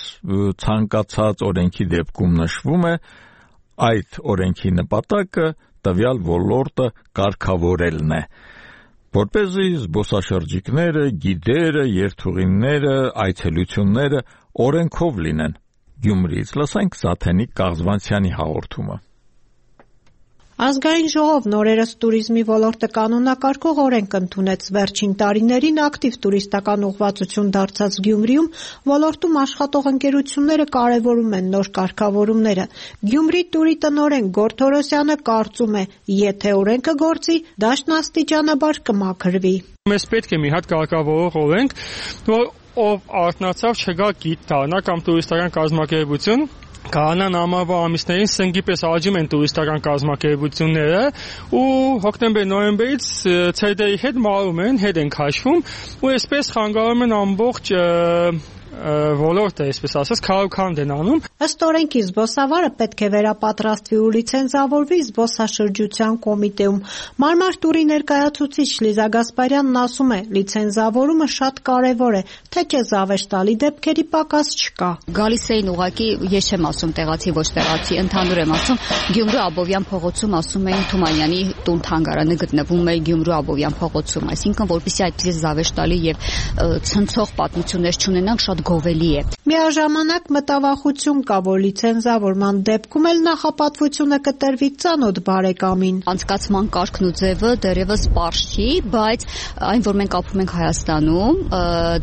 ցանկացած օրենքի դեպքում նշվում է, այդ օրենքի նպատակը տվյալ ոլորտը կարգավորելն է, որպեսզի զբոսաշրջիկները, գիդերը, երթուղիները, այցելությունները օրենքով լինեն։ Գյումրիից լսենք Սաթենիկ Կաղզվանցյանի հաղորդումը։ Ազգային ժողովն օրերս տուրիզմի ոլորտը կանոնակարգող օրենք ընդունեց։ Վերջին տարիներին ակտիվ տուրիստական ուղղվածություն դարձած Գյումրիում ոլորտում աշխատող ընկերությունները կարևորում են նոր կարգավորումները։ Գյումրի տուրի տնօրեն Գորգ Թորոսյանը կարծում է, եթե օրենքը գործի, դաշտն աստիճանաբար կմաքրվի։ Մեզ պետք է մի հատ կարգավորող օրենք, որ ով արթնացավ չգա գիտ դառնա կամ տուրիստական կազմակերպություն Կանան ամառվա ամիսներին սնգի պես աճում են տուրիստական կազմակերպությունները ու հոկտեմբեր-նոյեմբերից ցերդերի հետ մարում են, հետ են քաշվում ու այսպես խանգարում են ամբողջ ոլորտը, այսպես ասած, քարոքանդ են անում։ Ըստ օրենքի զբոսավարը պետք է վերապատրաստվի ու լիցենզավորվի զբոսաշրջության կոմիտեում։ Մարմար տուրի ներկայացուցիչ Լիզա Գասպարյանն ասում է, լիցենզավորումը շատ կարևոր է, թե չէ զավեշտալի դեպքերի պակաս չկա։ Գալիս էին ուղղակի, ես չեմ ասում տեղացի, ոչ տեղացի, ընդհանուր եմ ասում, Գյումրու Աբովյան փողոցում ասում էին Թումանյանի տուն թանգարանը գտնվում է Գյումրու Աբովյան փողոցում, այսինքն որպեսզի այդպես զավեշտալի եւ ցնցող պատմություններ չունենանք, շատ գովելի է։ Միաժամանակ մտավախություն կա, որ լիցենզավորման դեպքում էլ նախապատվությունը կտրվի ծանոթ բարեկամին։ Անցկացման կարգն ու ձևը դեռևս պարզ չի, բայց այն, որ մենք ապրում ենք Հայաստանում,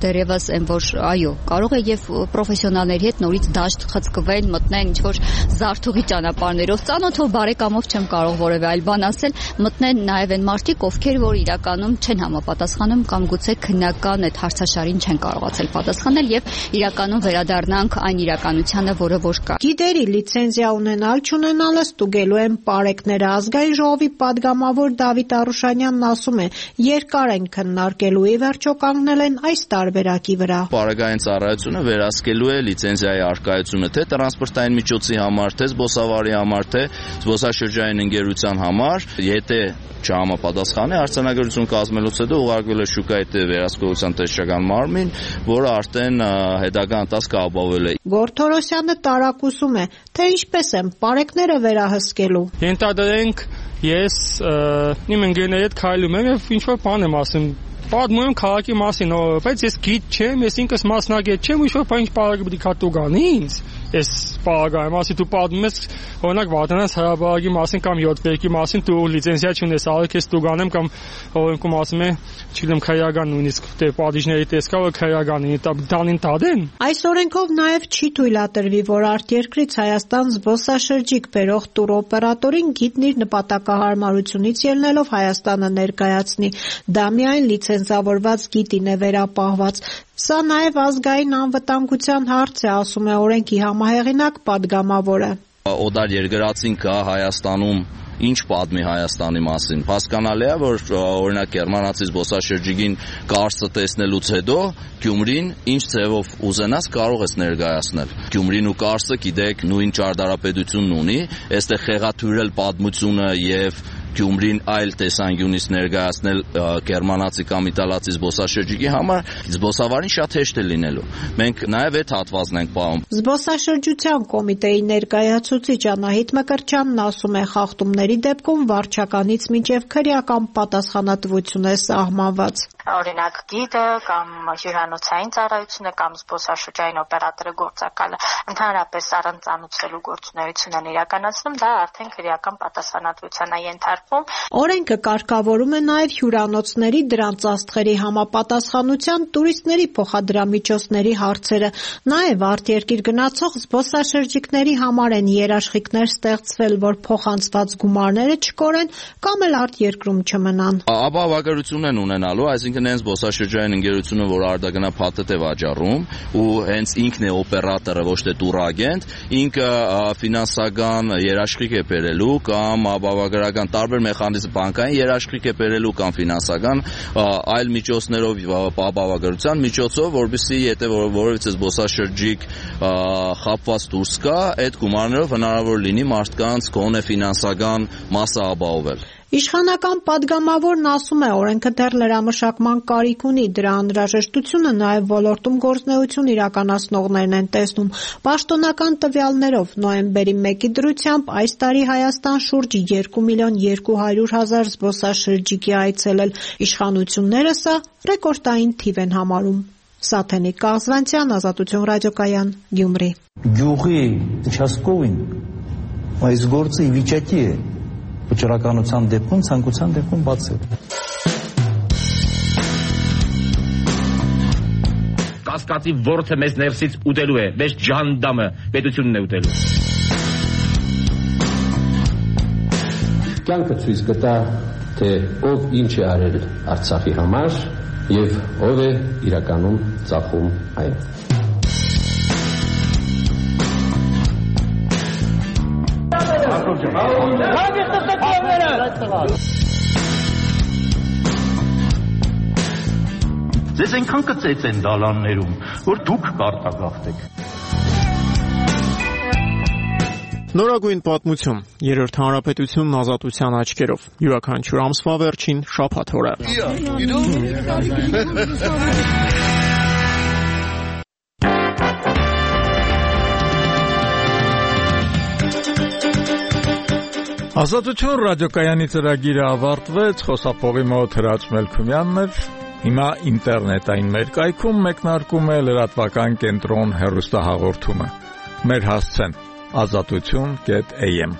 դեռևս այն, որ այո, կարող է եւ պրոֆեսիոնալների հետ նորից դաշտ խցկվեն, մտնեն ինչ-որ զարթուղի ճանապարհներով, ծանոթով բարեկամով չեմ կարող որևէ այլ բան ասել, մտնեն նաեւ այն մարդիկ, ովքեր որ իրականում չեն համապատասխանում կամ գուցե քննական այդ հարցաշարին չեն կարողացել պատասխանել եւ իրականում վերադառնանք այն իրականությանը, որը որ կա։ Գիդերի լիցենզիա ունենալ չունենալը ստուգելու են պարեկները։ Ազգային ժողովի падգամավոր Դավիթ Արուշանյանն ասում է, երկար են քննարկելու, ի վերջո կանգնել են այս տարբերակի վրա։ Պարագային ծառայությունը վերահսկելու է լիցենզիայի առկայությունը թե տրանսպորտային միջոցի համար, թե զբոսավարի համար, թե զբոսաշրջային ընկերության համար, եթե չհամապատասխանի արձանագրություն կազմելուց հետո ուղարկվել է շուկայի վերահսկողության տեսչական մարմին, որը արդեն հետագա ընթացքը ապահովել է։ Գորթորոսյանը տարակուսում է, թե ինչպես են պարեկները վերահսկելու։ Ենթադրենք ես իմ ընկերների հետ քայլում եմ եւ ինչ որ բան եմ ասում, պատմում եմ քաղաքի մասին, բայց ես գիտ չեմ, ես ինքս մասնագետ չեմ, ինչ որ բան ինչ պարագ պետք է տու գանի ինձ։ Ես պարագայում, ասի դու պատմում ես օրինակ Վարդանանց հրաբարակի մասին կամ յոթվերքի մասին, դու լիցենզիա չունես, ալեկ ես տու գանեմ կամ օրենքում ասում է, չգիտեմ, քրեական նույնիսկ թե պատիժների տեսքա որ քրեական դանին տադեն։ Այս օրենքով նաև չի թույլատրվի, որ արտերկրից Հայաստան զբոսաշրջիկ բերող տուրօպերատորին գիդն իր նպատակահարմարությունից ելնելով Հայաստանը ներկայացնի։ Դա միայն լիցենզավորված գիդին է վերապահված։ Սա նաև ազգային անվտանգության հարց է, ասում է օրենքի համահեղինակ падգամավորը։ Օդար երկրածին կա Հայաստանում, ինչ պատմի Հայաստանի մասին։ Հասկանալի է, որ օրինակ գերմանացի զբոսաշրջիկին կարծը տեսնելուց հետո Գյումրին ինչ ձևով ուզենաս կարող ես ներկայացնել։ Գյումրին ու կարծը գիտեք նույն ճարտարապետությունն ունի, այստեղ խեղաթյուրել պատմությունը եւ Գյումրին այլ տեսանկյունից ներկայացնել գերմանացի կամ իտալացի զբոսաշրջիկի համար զբոսավարին շատ հեշտ է լինելու։ Մենք նաև այդ հատվածն ենք պահում։ Զբոսաշրջության կոմիտեի ներկայացուցիչ Անահիտ Մկրտչյանն ասում է, խախտումների դեպքում վարչականից մինչև քրեական պատասխանատվություն է սահմանված։ Օրինակ գիդը կամ հյուրանոցային ծառայությունը կամ զբոսաշրջային օպերատորը գործակալը ընդհանրապես առանձնացնելու գործունեություն են իրականացնում, դա արդեն քրեական պատասխանատվության է ենթարկվում։ Օրենքը կարգավորում է նաև հյուրանոցների դրանց աստղերի համապատասխանության, տուրիստների փոխադրամիջոցների հարցերը։ Նաև արտերկիր գնացող զբոսաշրջիկների համար են երաշխիքներ ստեղծվել, որ փոխանցված գումարները չկորեն կամ էլ արտերկրում չմնան։ Ապահովագրություն են ունենալու, այսինքն հենց զբոսաշրջային ընկերությունը, որ արտագնա փաթեթ է վաճառում ու հենց ինքն է օպերատորը, ոչ թե տուրագենտ, ինքը ֆինանսական երաշխիք է բերելու կամ ապահովագրական տարբեր մեխանիզմ բանկային երաշխիք է բերելու կամ ֆինանսական այլ միջոցներով ապահովագրության միջոցով, որովհետեւ եթե որևիցե զբոսաշրջիկ խապված դուրս գա, այդ գումարներով հնարավոր լինի մարդկանց գոնե ֆինանսական մասը ապահովել։ Իշխանական падգամավորն ասում է, օրենքը դեռ լրամշակման կարիք ունի, դրա անհրաժեշտությունը նաև ոլորտում գործունեություն իրականացնողներն են տեսնում։ Պաշտոնական տվյալներով նոյեմբերի 1-ի դրությամբ այս տարի Հայաստան շուրջ 2.200.000 զբոսաշրջիկ է այցելել։ Իշխանությունները սա ռեկորդային թիվ են համարում։ Սաթենիկ Կաղզվանցյան, Ազատություն ռադիոկայան, Գյումրի։ Գյուղի участковին այս գործը ի վիճակի է վճռականության դեպքում, ցանկության դեպքում բացել։ Կասկածի ворթը մեզ ներսից ուտելու է, մեզ ջանդամը պետությունն է ուտելու։ Կյանքը ցույց կտա, թե ով ինչ է արել Արցախի համար եւ ով է իրականում ծախում այն։ Ձեզ այնքան կծեց են դալաններում, որ դուք կարտագաղթեք։ Նորագույն պատմություն, Երրորդ հանրապետությունն ազատության աչքերով, յուրաքանչյուր ամսվա վերջին շաբաթ օրը։ Ազատություն ռադիոկայանի ծրագիրը ավարտվեց, խոսափողի մոտ Հրաչ Մելքումյանն էր, հիմա ինտերնետային մեր կայքում մեկնարկում է լրատվական կենտրոն հեռուստահաղորդումը։ Մեր հասցեն azatutun.am